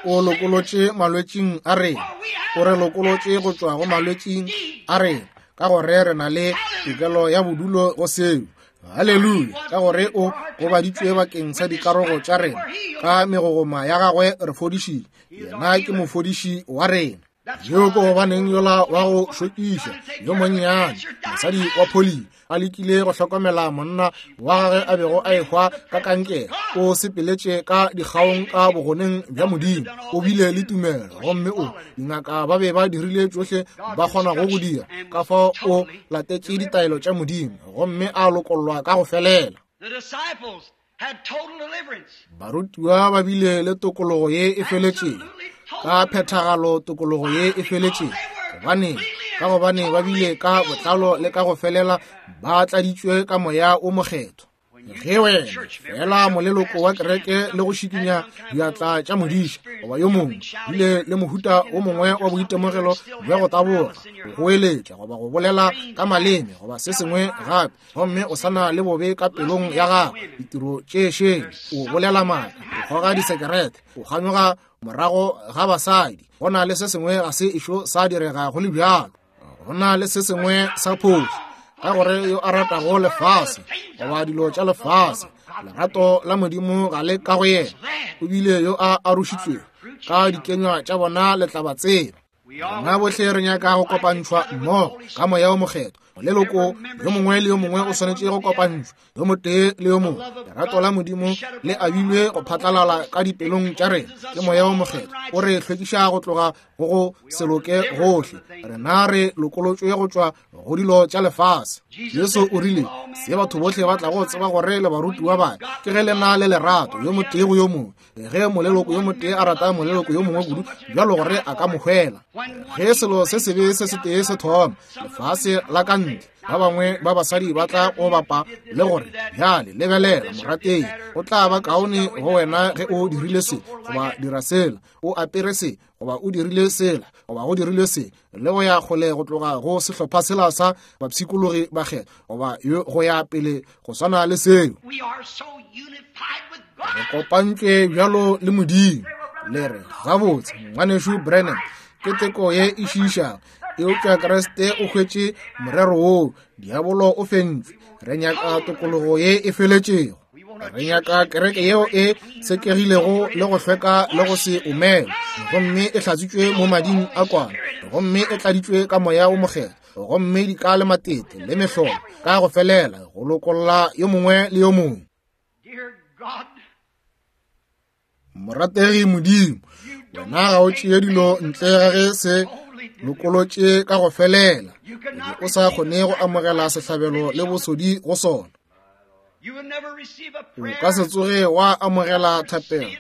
O lokolotše malwetšing a rena, o re lokolotše go tšwa go malwetšing a rena, ka gore re na le tokelo ya bodulo go seo. Haleluya! Ka gore o gobaditšwe bakeng sa dikarogo tša rena, ka megogoma ya gagwe re fodišitše. Yena ke mofodiši wa rena. Yo ke gobaneng yola wa go šokiša yo monnyane mosadi wa poli a lekile go hlokomela monna wa gagwe a bego a ehwa ka kankere, o sepeletše ka dikgaong ka bogoneng bja Modimo. O bile le tumelo, gomme o dingaka ba be ba dirile tšohle ba kgonago go dira, ka fao o latetše ditaelo tša Modimo gomme a lokollwa ka go felela. Barutiwa ba bile le tokologo ye e feletšego, ka phethagalo tokologo ye e feletšego. Gobane ka gobane ba bile ka botlalo le ka go felela ba tladitšwe ka Moya o Mokgethwa. Ge wena fela moleloko wa kereke le go šikinya diatla tša modiša goba yo mongwe bile le mohuta o mongwe wa boitemogelo bja go taboga, go goeletša goba go bolela ka maleme goba se sengwe gape, gomme o sana le bobe ka pelong ya gago, ditiro tše šele, o bolela maaka, o goga disekerete, o kganyoga morago ga basadi, go na le se sengwe ga se ešo sa direga go le bjalo. Go na le se sengwe sa phošo, ka gore yo a ratago lefase goba dilo tša lefase, lerato la Modimo ga le ka go yena. O bile yo a arošitšwego ka dikenywa tša bona le tla ba tseba. Rena bohle re nyaka go kopantšhwa mmogo ka Moya o Mokgethwa. Moleloko yo mongwe le yo mongwe o swanetše go kopantšhwa yo motee le yo mongwe. Lerato la Modimo le abilwe go phatlalala ka dipelong tša rena ke Moya o Mokgethwa. O re hlwekiša go tloga go go se loke gohle. Rena re lokolotšwe go tšwa go dilo tša lefase. Jesu o rile, se batho bohle ba tlago tseba gore le barutiwa ba ke ge le na le lerato yo motee go yo mongwe. Ge moleloko yo motee a rata moleloko yo mongwe kudu bjalo gore a ka mo hwela. Ge selo se sebe se setee se thoma lefase la ka ntle, ba bangwe ba basadi ba tla go bapa le gore, bjale lebelela morategi, o tla ba kaone go wena ge o dirile se goba dira sela, o apere se goba o dirile sela goba go dirile se, le go ya kgole go tloga go sehlopha sela sa bapshikologi ba kgetho goba go ya pele go swana le seo. Re kopantšwe bjalo le Modimo. Le re, gabotse ngwanešu Branham, ke teko ye e šiišago, eupša Kriste o hwetše morero woo, diabolo o fentšwe. Re nyaka tokologo ye e feletšego. Re nyaka kereke yeo e sekegilego le go hlweka le go se omele, gomme e hlatswitšwe mo mading a kwana, gomme e tladitšwe ka Moya o Mokgethwa, gomme di ka le matete le mehlolo ka go felela go lokolla yo mongwe le yo mongwe. Morategi Modimo, wena ga o tšee dilo ntle ga ge se lokolotše ka go felela, o sa kgone go amogela sehlabelo le bosodi go sona. O ka se tsoge wa amogela thapelo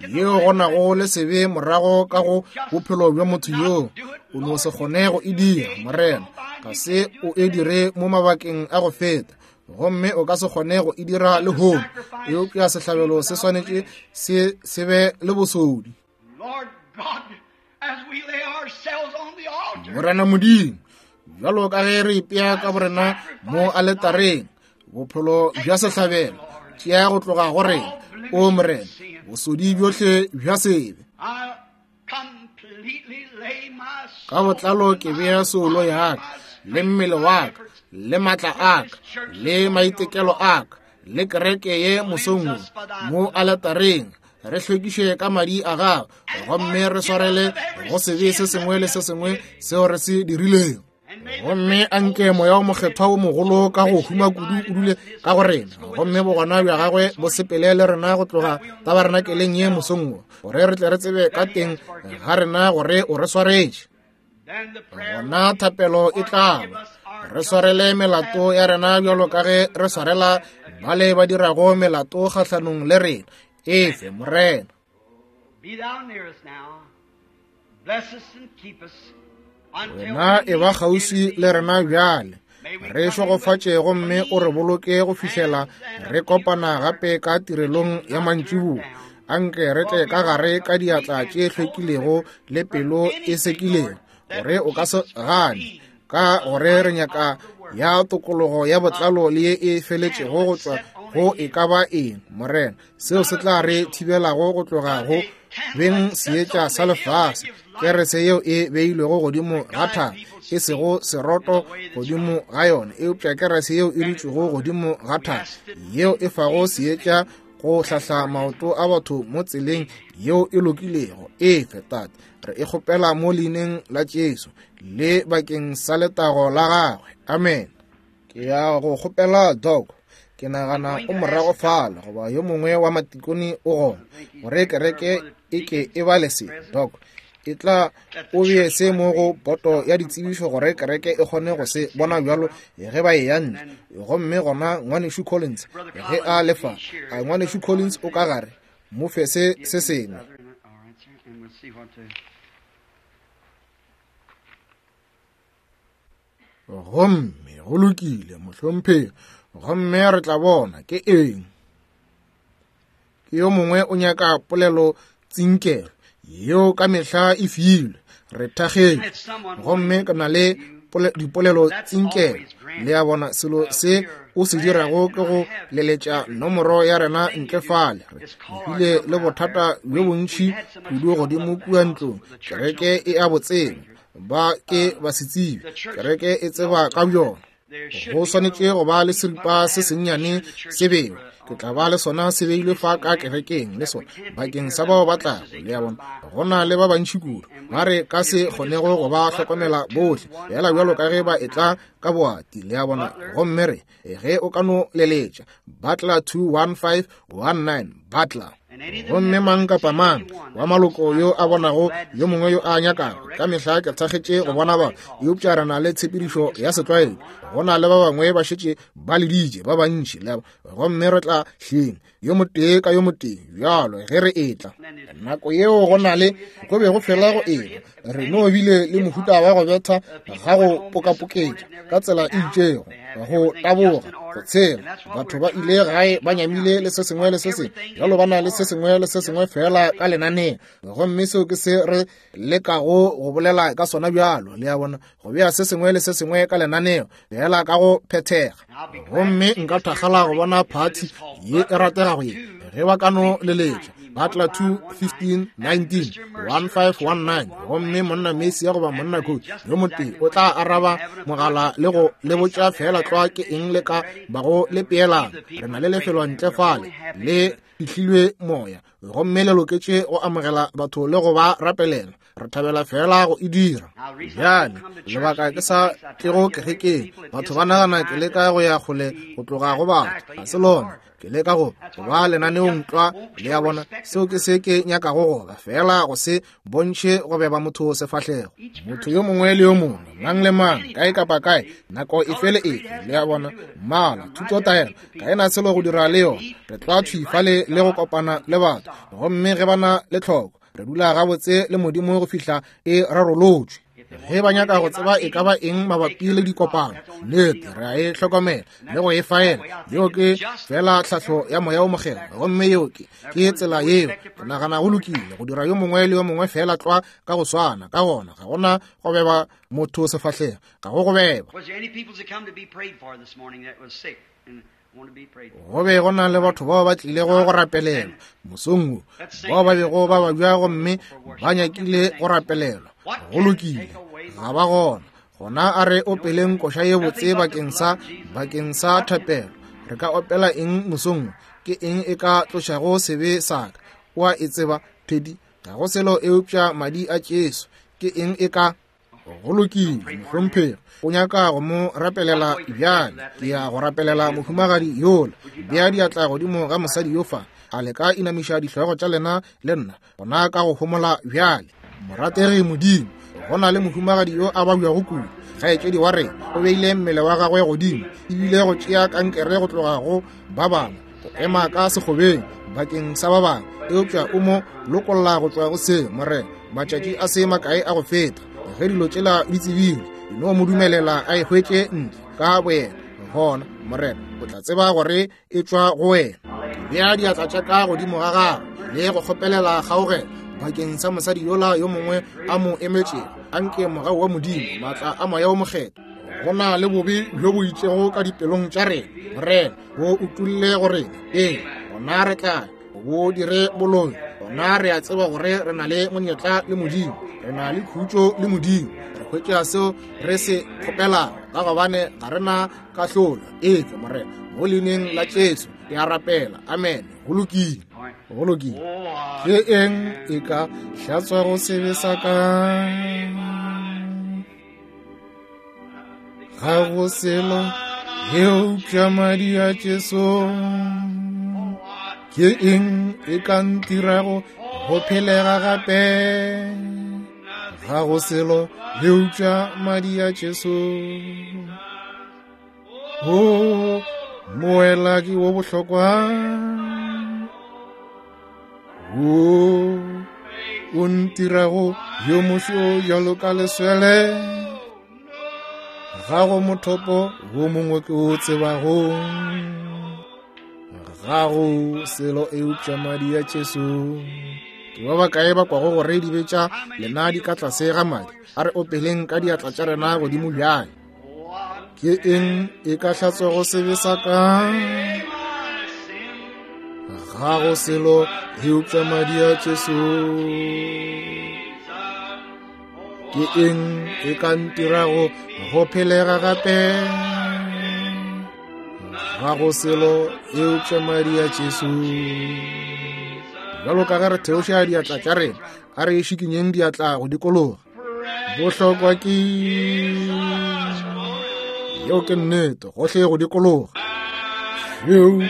yeo go nago le sebe morago ka go bophelo bja motho yoo. O no se kgone go e dira, Morena. Ga se o e dire mo mabakeng a go feta, gomme o ka se kgone go e dira lehono. Eupša sehlabelo se swanetše se se be le bosodi. Morena Modimo, bjalo ka ge re ipea ka borena mo aletareng, bophelo bja sehlabelo tšea go tloga go rena, o Morena, bosodi bjohle bja sebe. Ka botlalo ke bea soulo ya ka le mmele wa ka le maatla a ka le maitekelo a ka le kereke ye mosong wo mo aletareng. Re hlwekiše ka madi a gago, gomme re swarele go sebe se sengwe le se sengwe seo re se dirilego. Gomme a nke Moya o Mokgethwa wo mogolo ka go huma kudu o dule ka go rena, gomme bogona bja gagwe bo sepele le rena go tloga tabarenakeleng ye mosong wo, gore re tle re tsebe ka teng ga rena gore o re swaretše. Gona thapelo e tla ba, re swarele melato ya rena bjalo ka ge re swarela bale ba dirago melato kgahlanong le rena. Efe, Morena. Wena e ba kgauswi le rena bjale, re šegofatše gomme o re boloke go fihlela re kopana gape ka tirelong ya mantšiboa. Anke re tle ka gare ka diatla tše hlwekilego le pelo e sekilego, gore o ka se gane, ka gore re nyaka ya tokologo ya botlalo le ye e feletšego go tšwa go e ka ba eng, Morena, seo se tla re thibelago go tloga go beng seetša sa lefase, kerese yeo e beilwego godimo ga thaba, e sego seroto godimo ga yona, eupša kerese yeo e dutšego godimo ga thaba, yeo e fago seetša go hlahla maoto a batho mo tseleng yeo e lokilego. Efe, Tate, re e kgopela mo leineng la Jesu le bakeng sa letago la gagwe. Amen. Ke ya go kgopela Doc, ke nagana o morago fale goba yo mongwe wa matikone o gona, gore kereke e ke e bale se. Doc, e tla o bee se mo go poto ya ditsebišo gore kereke e kgone go se bona bjalo ge ba e ya ntle. Gomme gona ngwanešu Collins ge a lefa, a ngwanešu Collins o ka gare, mo fe se se sengwe. Gomme go lokile, mohlomphegi, gomme re tla bona ke eng. Ke yo mongwe o nyaka polelo tsinkelo yeo ka mehla e filwe, re thakgetše, gomme ke na le dipolelo tsinkelo. Le a bona, selo se o se dirago ke go leletša nomoro ya rena ntle fale. Re bile le bothata bjo bontši kudu godimo kua ntlong, kereke e a botseba, ba ke ba se tsebe, kereke e tseba ka bjona. Go swanetše go ba le seripa se sennyane se bewe, ke tla ba le sona se beilwe fa ka kerekeng le sona bakeng sa bao ba tlago. Le a bona, go na le ba bantši kudu ba re ka se kgonego go ba hlokomela bohle, fela bjalo ka ge ba etla ka boati. Le a bona, gomme re ge o ka no leletša Butler two one five one nine Butler, gomme mang kapa mang wa maloko yo a bonago yo mongwe yo a nyakago, ka mehla ke thakgetše go bona ba, eupša re na le tshepedišo ya setlwaedi. Go na le ba bangwe ba šetše ba leditše ba bantši, le gomme re tla hleng yo motee ka yo motee bjalo ge re etla. Nako yeo go na le go be go fela go eba, re no bile le mohuta wa go betha ga go pokapoketša ka tsela e itšego, go taboga, go tshela. Batho ba ile gae ba nyamile le se sengwe le se sengwe, bjalo ba na le se sengwe le se sengwe fela ka lenaneo, gomme seo ke se re lekago go bolela ka sona bjalo. Le a bona, go bea se sengwe le se sengwe ka lenaneo fela ka go phethega. Gomme nka thakgala go bona phathi ye e rategago ye ge ba ka no leletša Butler two fifteen nineteen one five one nine, gomme monna Messi goba monna Coach yo motee o tla araba mogala le go le botša fela tlwa ke eng le ka bago le peelana. Re na le lefelo ntle fale le fihlilwe moya, gomme le loketše go amogela batho le go ba rapelela. Re thabela fela go e dira. Bjale lebaka ke sa tlego kerekeng, batho ba nagana ke leka go ya kgole go tloga go batho, ga se lona. Ke leka go ba lenaneong tlwa. Le a bona, seo ke se ke nyakago go ba, fela go se bontšhe go beba motho sefahlego. Motho yo mongwe le yo mongwe, mang le mang, kae kapa kae, nako efe le efe. Le a bona, mmala, thuto, taelo ga e na selo go dira le yona. Re tla thwi fale le go kopana le batho, gomme ge ba na le tlhoko, re dula gabotse le Modimo go fihla e rarolotšwe. Ge ba nyaka go tseba e ka ba eng mabapi le dikopano, nnete re a e hlokomela le go e faela. Yeo ke fela tlhahlo ya Moya o Mokgethwa, gomme yeo ke ke tsela yeo ke nagana go lokile go dira yo mongwe le yo mongwe fela tlwa ka go swana. Ka gona ga gona go beba motho sefahlego, ga go go beba. Go be go na le batho bao ba tlilego go rapelelwa mosong wo, bao ba bego ba babja gomme ba nyakile go rapelelwa. Go lokile, ga ba gona. Gona a re opeleng koša ye botse bakeng sa bakeng sa thapelo. Re ka opela eng mosong wo? Ke eng e ka tlošago sebe sa ka? O a e tseba, Teddy, ga go selo eupša madi a Jesu. Ke eng e ka Go lokile, mohlomphegi. O nyaka go mo rapelela bjale. Ke ya go rapelela mohumagadi yola. Bea diatla godimo ga mosadi yo fa. A le ka inamiša dihlogo tša lena le nna gona ka go homola bjale. Morategi Modimo, go na le mohumagadi yo a babjago kudu. Kgaetšedi wa rena o beile mmele wa gagwe godimo, ebile go tšea kankere go tloga go ba bangwe, go ema ka sekgobeng bakeng sa ba bangwe, eupša o mo lokolla go tšwa go se, Morena, matšatši a se makae a go feta. Ge dilo tšela di tsebile, no mo dumelela a e hwetše ntle ka boyena. Gona, Morena, o tla tseba gore e tšwa go wena. Bea diatla tša ka godimo ga gagwe le go kgopelela kgaogelo bakeng sa mosadi yola yo mongwe a mo emetšego. Anke mogau wa Modimo, maatla a Moya wo Mokgethwa, go na le bobe bjo bo itšego ka dipelong tša rena, Morena, bo utulle go rena. Ee, gona re tla bo dire boloi. Gona re a tseba gore re na le monyetla le Modimo, re na le khutšo le Modimo, re hwetša seo re se kgopelago, ka gobane ga re na kahlolo. Ee, Morena, mo leineng la Jesu ke a rapela. Amen. Go lokile, go lokile. Ke eng e ka hlatswago sebe sa ka? Ga go selo eupša madi a Jesu. Ke eng e ka ntirago go phelega gape? Ga go selo eupša madi a Jesu. O moelaki wo bohlokwa, wo o ntirago yo mošo bjalo ka leswele. Ga go mothopo wo mongwe ke o tsebago, ga go selo eupša madi a Jesu. Ke ba bakae ba kwago gore dibe tša lena di ka tlase ga madi? A re opeleng ka diatla tša rena godimo bjale. Ke eng e ka hlatswago sebe sa ka? Ga go selo eupša madi a Jesu. Ke eng e ka ntirago go phelega gape? Ga go selo eupša madi a Jesu. Bjalo ka ge re theoša diatla tša rena, a re šikinyeng diatla go dikologa. Bohlokwa ke yeo ke nnete, gohle go dikologa. Šweu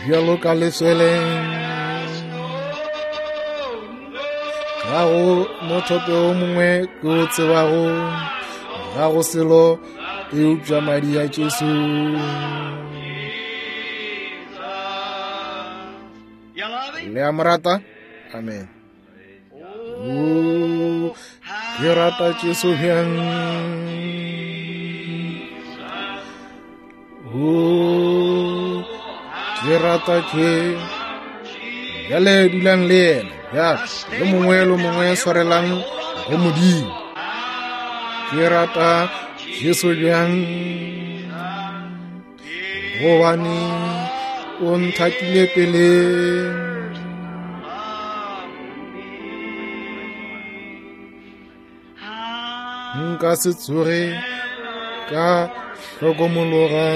bjalo ka leswele, ga go mothopo o mongwe ke o tsebago, ga go selo eupša madi a Jesu. Le a mo rata? Amen. O, ke rata Jesu bjang. O, ke rata ke. Bjale dulang le yena. Bjale yo mongwe le mongwe swarelang go Modimo. Ke rata Jesu bjang, gobane o nthatile pele. Nka se tsoge ka hlokomologa